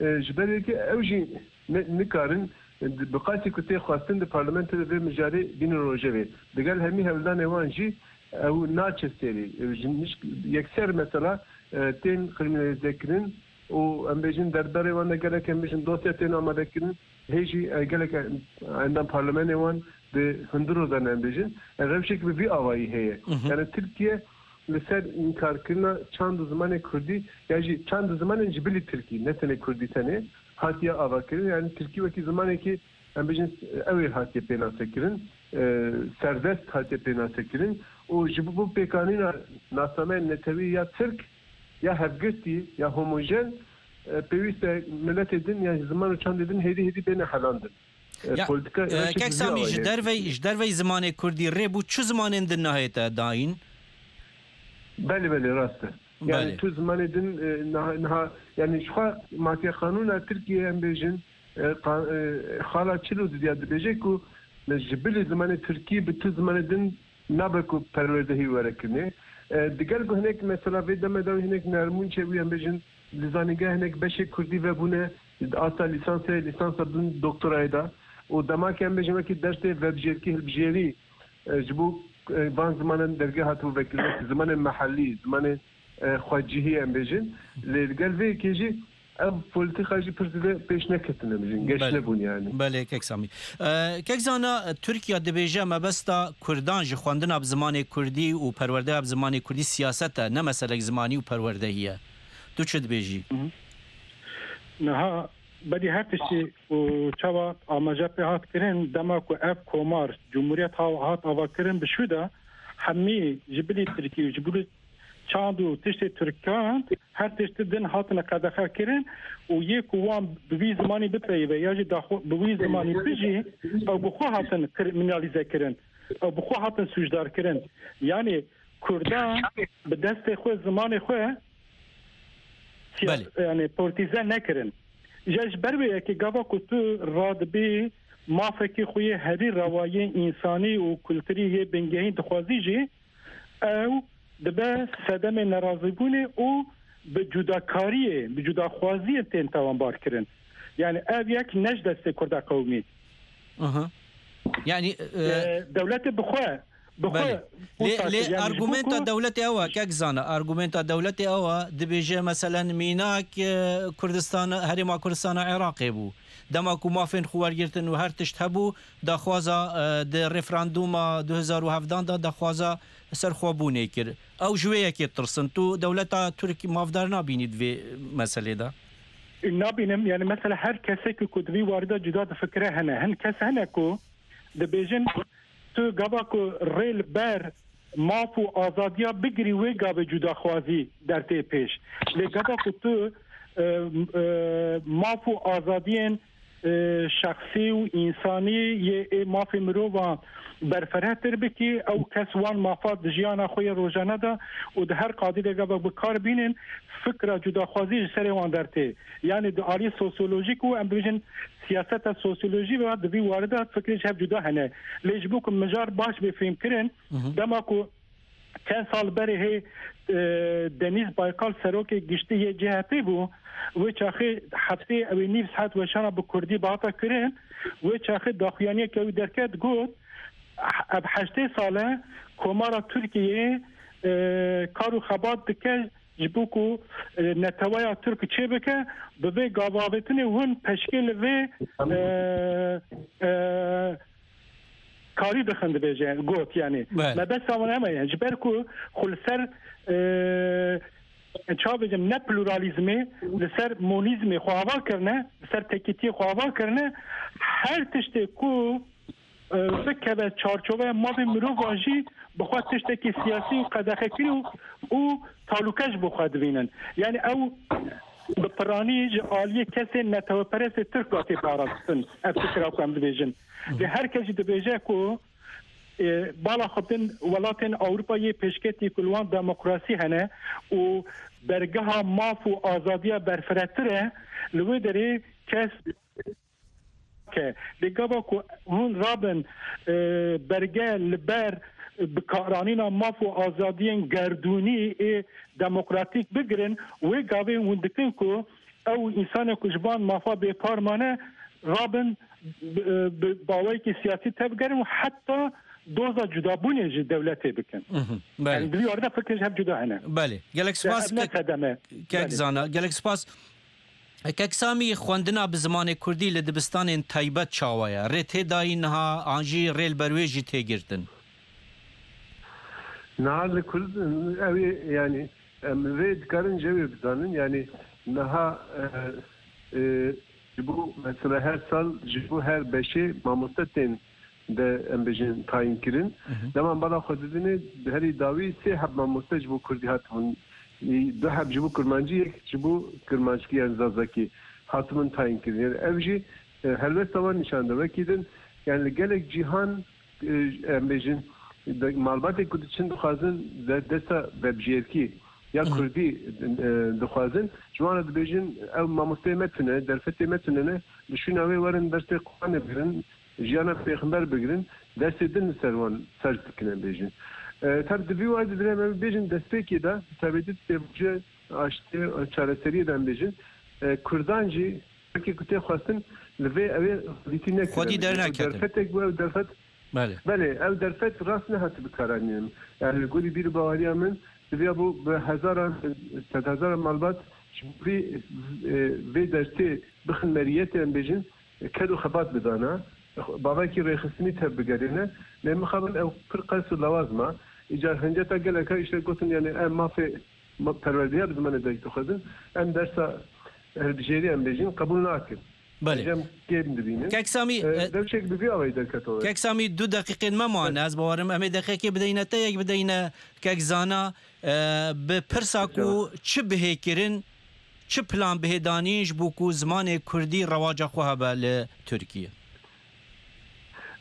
e, ji ber wê yekê ew jî ne, nikarin, e, bi qasî ku tê xwestin di parlamentoyê vê mijarê bînin rojevê. Digel hemî hewldanê wan jî ew naçe serî. E, ji niş-, yekser mesela, e, tên kriminalîze kirin û em bêjin derbarê wan de gelek em bêjin dosya tên amade kirin. Hê jî, e, gelek, e, endam parlamenê wan di hundir de ne em bêjin. E, rewşek bi vî avayî heye. Hı hı. Yani Tirkiye li ser înkarkirina çand û zimanê kurdî, ya jî çand û zimanên ji bilî tirkî, ne tenê kurdî tenê, hatiye avakirin. Yani tirkî wekî zimanekî, em bêjin, ew ê hatiye pênasekirin, e, serdest hatiye pênasekirin û ji bo pêkanîna nasnameyên netewî ya tirk, ya hevgirtî, ya homojen, e, pêwîst e miletê din, ya ziman û çandê din hêdî hêdî bêne helandin. E, Ya, polîtika e, rewşekî kek vî Samî, ji awayî dervey, ji dervey zimanê kurdî rê bû çi zimanên din nahête dayîn? Belê, belê, rast e. Yani Belê. Tu zimanê din, e, niha, niha, yani ji xwe matiye qanûna Tirkiye em bêjin, e, qa-, e, xala çil û didiya dibêje ku ji bilî zimanê Tirkî bi tu zimanê din nabe ku perwerdehî were kirinê. E, digel ku hinek mesela vê demê de hinek nermûn çêbûye em bêjin, li zanîngeh hinek beşê kurdî vebûne, di asta lîsansê, lîsansa bin doktorayê de û dema ke em bêjin wekî dersê vebijêrkî hilbijêrî, e, ji bo, e, van zimanan derge hatibû vekirin, wekî zimanê mehellî, zimanê, e, xwecihî em bêjin. Lê li gel vê yekê jî ev polîtîka jî pir zêde pêş neketine, em bêjin, geş Belê. nebûn yani. Belê, kek Samî. E, kek Zana, Tirkiye dibêje mebesta Kurdan ji xwendina bi zimanê Kurdî û perwerdeya bi zimanê Kurdî siyaset e, ne meselek zimanî û perwerdehî ye. Tu çi dibêjî? Hı hı. Niha berî her tiştî û çawa amaje pê hat kirin, dema ku ev komar, cumhuriyet ha-, hat ava kirin bi şû de, hemî ji bilî tirkî û ji bilî çand û tiştê tirkan her tiştî din hatine qedexe kirin û yê ku wan bi vî zimanî bipeyive ya jî daxwe bi wî zimanî bijî, ew bi xwe hatin kriminalîze kirin, ew bi xwe hatin sûcdar kirin. Yani Kurdan bi destê xwe, zimanê xwe siya-, Belê. yani politize nekirin. Ji, ji ber wê yekê gava ku tu radibî mafekî xwe yê herî rewayê însanî û kulturî yê bingehîn dixwazî jî, ew dibe sedemê nerazîbûnê û bi cudakariyê, bi cudaxwaziyê tên tawanbar kirin. Yani ev yek ne ji destê Kurda qewimî. Aha. Yani, e, E, dewletê bi xwe, bi xwe Belê. Lê, lê argumenta dewletê ew e, kek Zana, argumenta dewletê ew e, dibêje, meselen, mînak, e, Kurdistan, Herêma Kurdistana Iraqê bû. Dema ku mafên xwe wergirtin û her tişt hebû, daxwaza, e, di referandûma du hezar û hevdan de daxwaza serxwebûnê kir. Ew ji wê yekê tirsin. Tu dewleta Tirk mafdar nabînî di vê meselê de? Nabînim, yani mesela her kesek ku di vî warî de cuda difikire hene. Hin kes hene ku dibêjin, tu gava ku rê li ber maf û azadiya bigirî, wê gavê cudaxwazî dertê pêş. Lê gava ku tu, e, e, maf û azadiyên, e, şexsî û însanî yê ê mafê mirovan berfirehtir bikî, ew kes wan mafa di jiyana xwe yê rojane de û di her qadî de gava bi kar bînin, fikra cudaxwazî ji serê wan dertê. Yani di alî sosyolojîk û em bibêjin siyaseta sosyolojî ve di vî warî de fikrê ji hev cuda hene. Lê ji bo ku mijar baş bê fêhmkirin, Hı hı. dema ku çend sal berê hê, e, Deniz Baykal serokê giştî yê C H P bû, wê çaxê heftê ew ê nîv saet weşana bi kurdî bihata kirin, wê çaxê daxuyaniyeke wî derket, got, ev heştê sal e Komara Tirkiyeyê, e, kar û xebat dike ji bo ku, e, neteweya Tirk çêbike, bi vê gavavêtinê hûn peşkê li vê, e, e, karî dixin, dibêje, got, yani. Belê. Mebesta wan heme ye. Ji ber ku xwe li ser, e, çawa bêjim, ne pluralîzmê, li ser monîzmê xwe ava kirine, li ser tekîtiyê xwe ava kirine, her tiştê ku, e, bikeve çarçoveya mafê mirovan jî bi xwe tiştekî siyasî û qedexekirî û, û talûke ji bo xwe dibînin. Yani ew bi piranî ji aliyê kesên neteweperestê Tirk ve tê parastin, ev fikra ku em dibêjin. Lê her kes jî dibêje ku, e, bala xwe bin welatên Ewropa yê pêşketî ku li wan demokrasî hene û bergeha maf û azadiya berfiretir e, li wê derê kes ke. Lê gava ku hûn rabin, e, berge li ber bikaranîna maf û azadiyên gerdûnî ê demokratîk bigirin, wê gavê hûn dikin ku ew însanê ku ji van mafa bêpar mane, rabin bi, bi baweyekî siyasî tevgerin û heta doza cudabûnê ji dewletê bikin. Mhm, belê. Yani di vî warde fikir ji hev cuda hene. Belê. Gelek spas. Ev ne ke-, sedeme. Kek Belê. Zana. Gelek spas. Kek Samî, xwendina bi zimanê kurdî li dibistanên taybet çawa ye? Rê tê dayî niha an jî rê li ber wê jî tê girtin? Niha li Kurd, ew ê, yani, em vê dikarin ji wê bizanin. Yani, niha, e, e, ji bo, mesela, her sal ji bo her beşê mamoste tên de, em bêjin, tayîn kirin. Hı hı. Dema bala xwe didinê, di herî dawî sê heb mamoste ji bo kurdî hatibûn, du heb ji bo kurmancî, yek ji bo kurmanckî, yani zazakî, hatibûn tayîn kirin. Yani ev jî, e, helwesta wan nîşan de. Wekî din, yani li gelek cîhan, e, em bêjin, de-, malbatê ku diçin dixwazin de-, dersa vebijêrkî ya Hı hı. kurdî, e, dixwazin. Ji wan re dibêjin, ew mamosteyê me tune, derfetê me tune ne, li şûna wê werin dersê Quranê bigirin, jiyana pêxember bigirin, dersê din li ser wan ferz dikin, em bêjin. E, tab di vî wayî de em bêjin destpêkê de, bi taybetî di pêvajoya aştiyê, çareseriyê de em bêjin, e, kurdan jî wekî ku tê xwestin li vê ew ê xwedîtî nekirin. Xwedî dernekevin. Derfetek bû, ew derfet Belê. Belê, ew derfet rast nehatibe bikaranînin. Yani li gorî bîr û baweriya min, diviyabû bi hezaran, sedhezaran malbat ji bo vê, e, vê dertê bixin meriyetê, em bêjin, ked û xebat bidana, bavekî rêxistinî tev bigerîne. Lê mixabin ew pir qels û lawaz ma. Îcar hinceta geleka îşte gotin, yani em mafê ma-, perwerdeya bi zimanê derg dixwazin, em dersa hilbijêrî, em bêjin, qebûl nakin. Belê. Cem kêm dibînin. Kek Samî, E, e, rewşek bi vî awayî derketore. Kek Samî, du deqîqên me mane, Evet. ez bawerim. Em ê deqîqekê bideyne te, yek bideyne Kek Zana, e, bi pirsa ku Tamam. çi bihê kirin, çi plan bihê danîn ji bo ku zimanê kurdî rewaca xwe hebe li Tirkiye?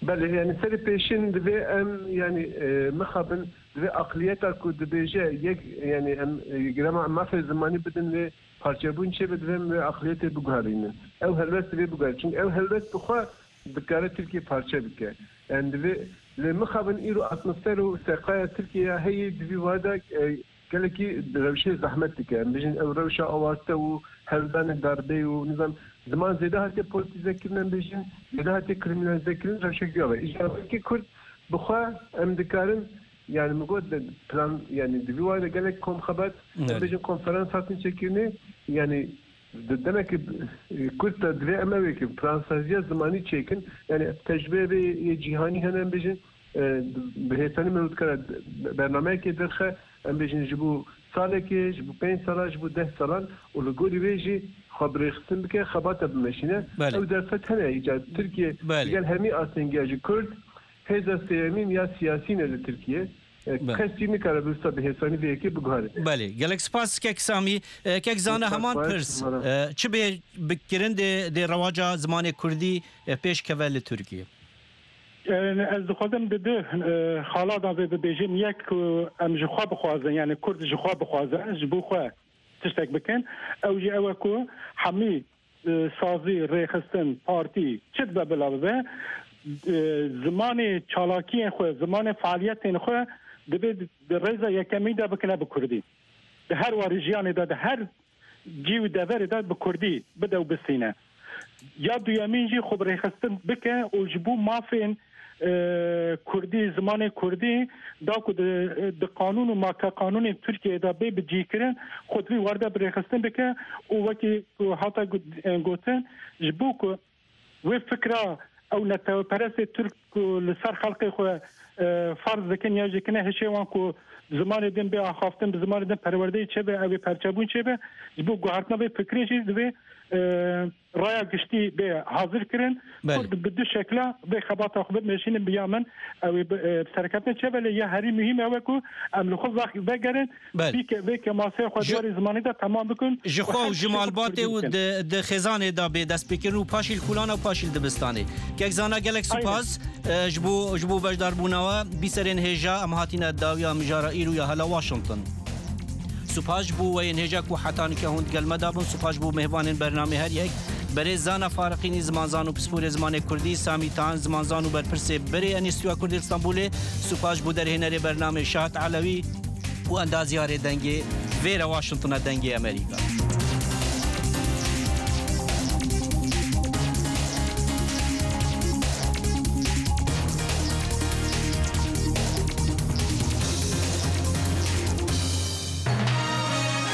Belê, yani serê pêşin divê em, yani, e, mixabin divê aqliyeta ku dibêje yek, yani em, e, girema em mafê zimanî bidin vê parçebûn çêbe, divê em vê aqliyetê biguherînin. Ew helwest divê biguherînin. Çünkü ew helwest bi xwe dikare Tirkiye parçe bike. Yani divê, lê mixabin îro atmosfer û seqaya Tirkiye ya heyî di vî wada, e, gelekî rewşê zehmet dike. Em bêjin ew rewşa awarte û hewldanê darbeyê û nizam ziman zêde hatiye politize kirin, em bêjin zêde hatiye kriminalize kirin, rewşek vî ava. Îja wekî Kurd bi xwe em dikarin, yani min got de plan, yani di vî wayî de gelek kom xebat, em Evet. bêjin konferans hatin çêkirinê, yani di demekî, e, kurt de divê em ew ê ki plansaziya zimanî çêkin, yani tecrübe vê yê cîhanî hene, em bêjin, e, bi hêsanî me dikare bernameyekê derxe, em bêjin ji bo salekê, ji bo pênc sala, ji bo deh salan û li gorî vê jî xwe birêxistin bike, xebata bimeşîne. Belê. Ew derfet hene îcar Tirkiye Belê. digel hemî astengiya ji Kurd, hêza sêyemîn ya siyasî ne li Tirkiye. E, Belê. kes jî nikare bi wisa bi hêsanî vê yekê biguherîne. Belê. Gelek spas kek Samî. E, kek Zana Spas heman xwe, pirs. Spas. E, çi bê bikirin dê, dê rewaca zimanê kurdî, e, pêş keve li Tirkiye? E, ez dixwazim di du, e, xala de vê bibêjim. Yek ku em ji xwe bixwazin, yani Kurd ji xwe bixwazin, ji bo xwe tiştek bikin. Ew jî ew e ku hemî, e, sazî, rêxistin, partî, çi dibe bila bibe, e, zimanê çalakiyên xwe, zimanê fealiyetên xwe divê di rêza yekemî de bikine bi kurdî. Di her warî jiyanê de, di her cî û deverê de bi kurdî bide û bistîne. Ya duyemîn jî xwe bi rêxistin bike û ji bo mafên, e, kurdî, zimanê kurdî, da ku di, di qanûn û makeqanûnên Tirkiyeyê de bê bicihkirin, xwe di vî warde bi rêxistin bike û wekî ku hate got-, e, gotin, ji bo ku wê fikra ew neteweperestê Tirk ku li ser xelkê xwe, e, ferz dikin ya jî kine hişê wan ku zimanê din bê axaftin, bi zimanê din perwerdeyê çêbe, ew ê perçebûn çêbe, ji bo guhertina vê fikrê jî divê, e, raya giştî bê hazir kirin. Belê. Kurd bi du şekla vê xebata xwe bimeşînin, bi ya min ew ê bi, e, bi serkeftin çêbe, lê ya herî muhîm ew e ku em li xwe vex-, vegerin, Belê. Vê ke-, vê kemasê xwe Ji, di warê zimanî de temam bikin ji û xwe û her ji tiştê xwe malbatê û bikin. di, di xêzanê de bê destpêkirin û paşî li kolana û paşî li dibistanê. Kek Zana, gelek Aynen. spas, e, ji bo, ji bo beşdarbûna we. Bîserên hêja, em hatine dawiya mijara îro ya Hela Washington. Spas ji bo we yên hêja ku heta nike hûn digel me de bûn. Spas ji bo mêvanên bernamê her yek. Berê Zana Fariqînî, zimanzan û pisporê zimanê kurdî, Samî Tan, zimanzan û berpirsê berê Enîstîtuya Kurdî li Stenbolê. Spas ji bo derhênerê bernamê Şahat Elewî û endaziyarê dengê vê re Washingtona Dengê Amerîka.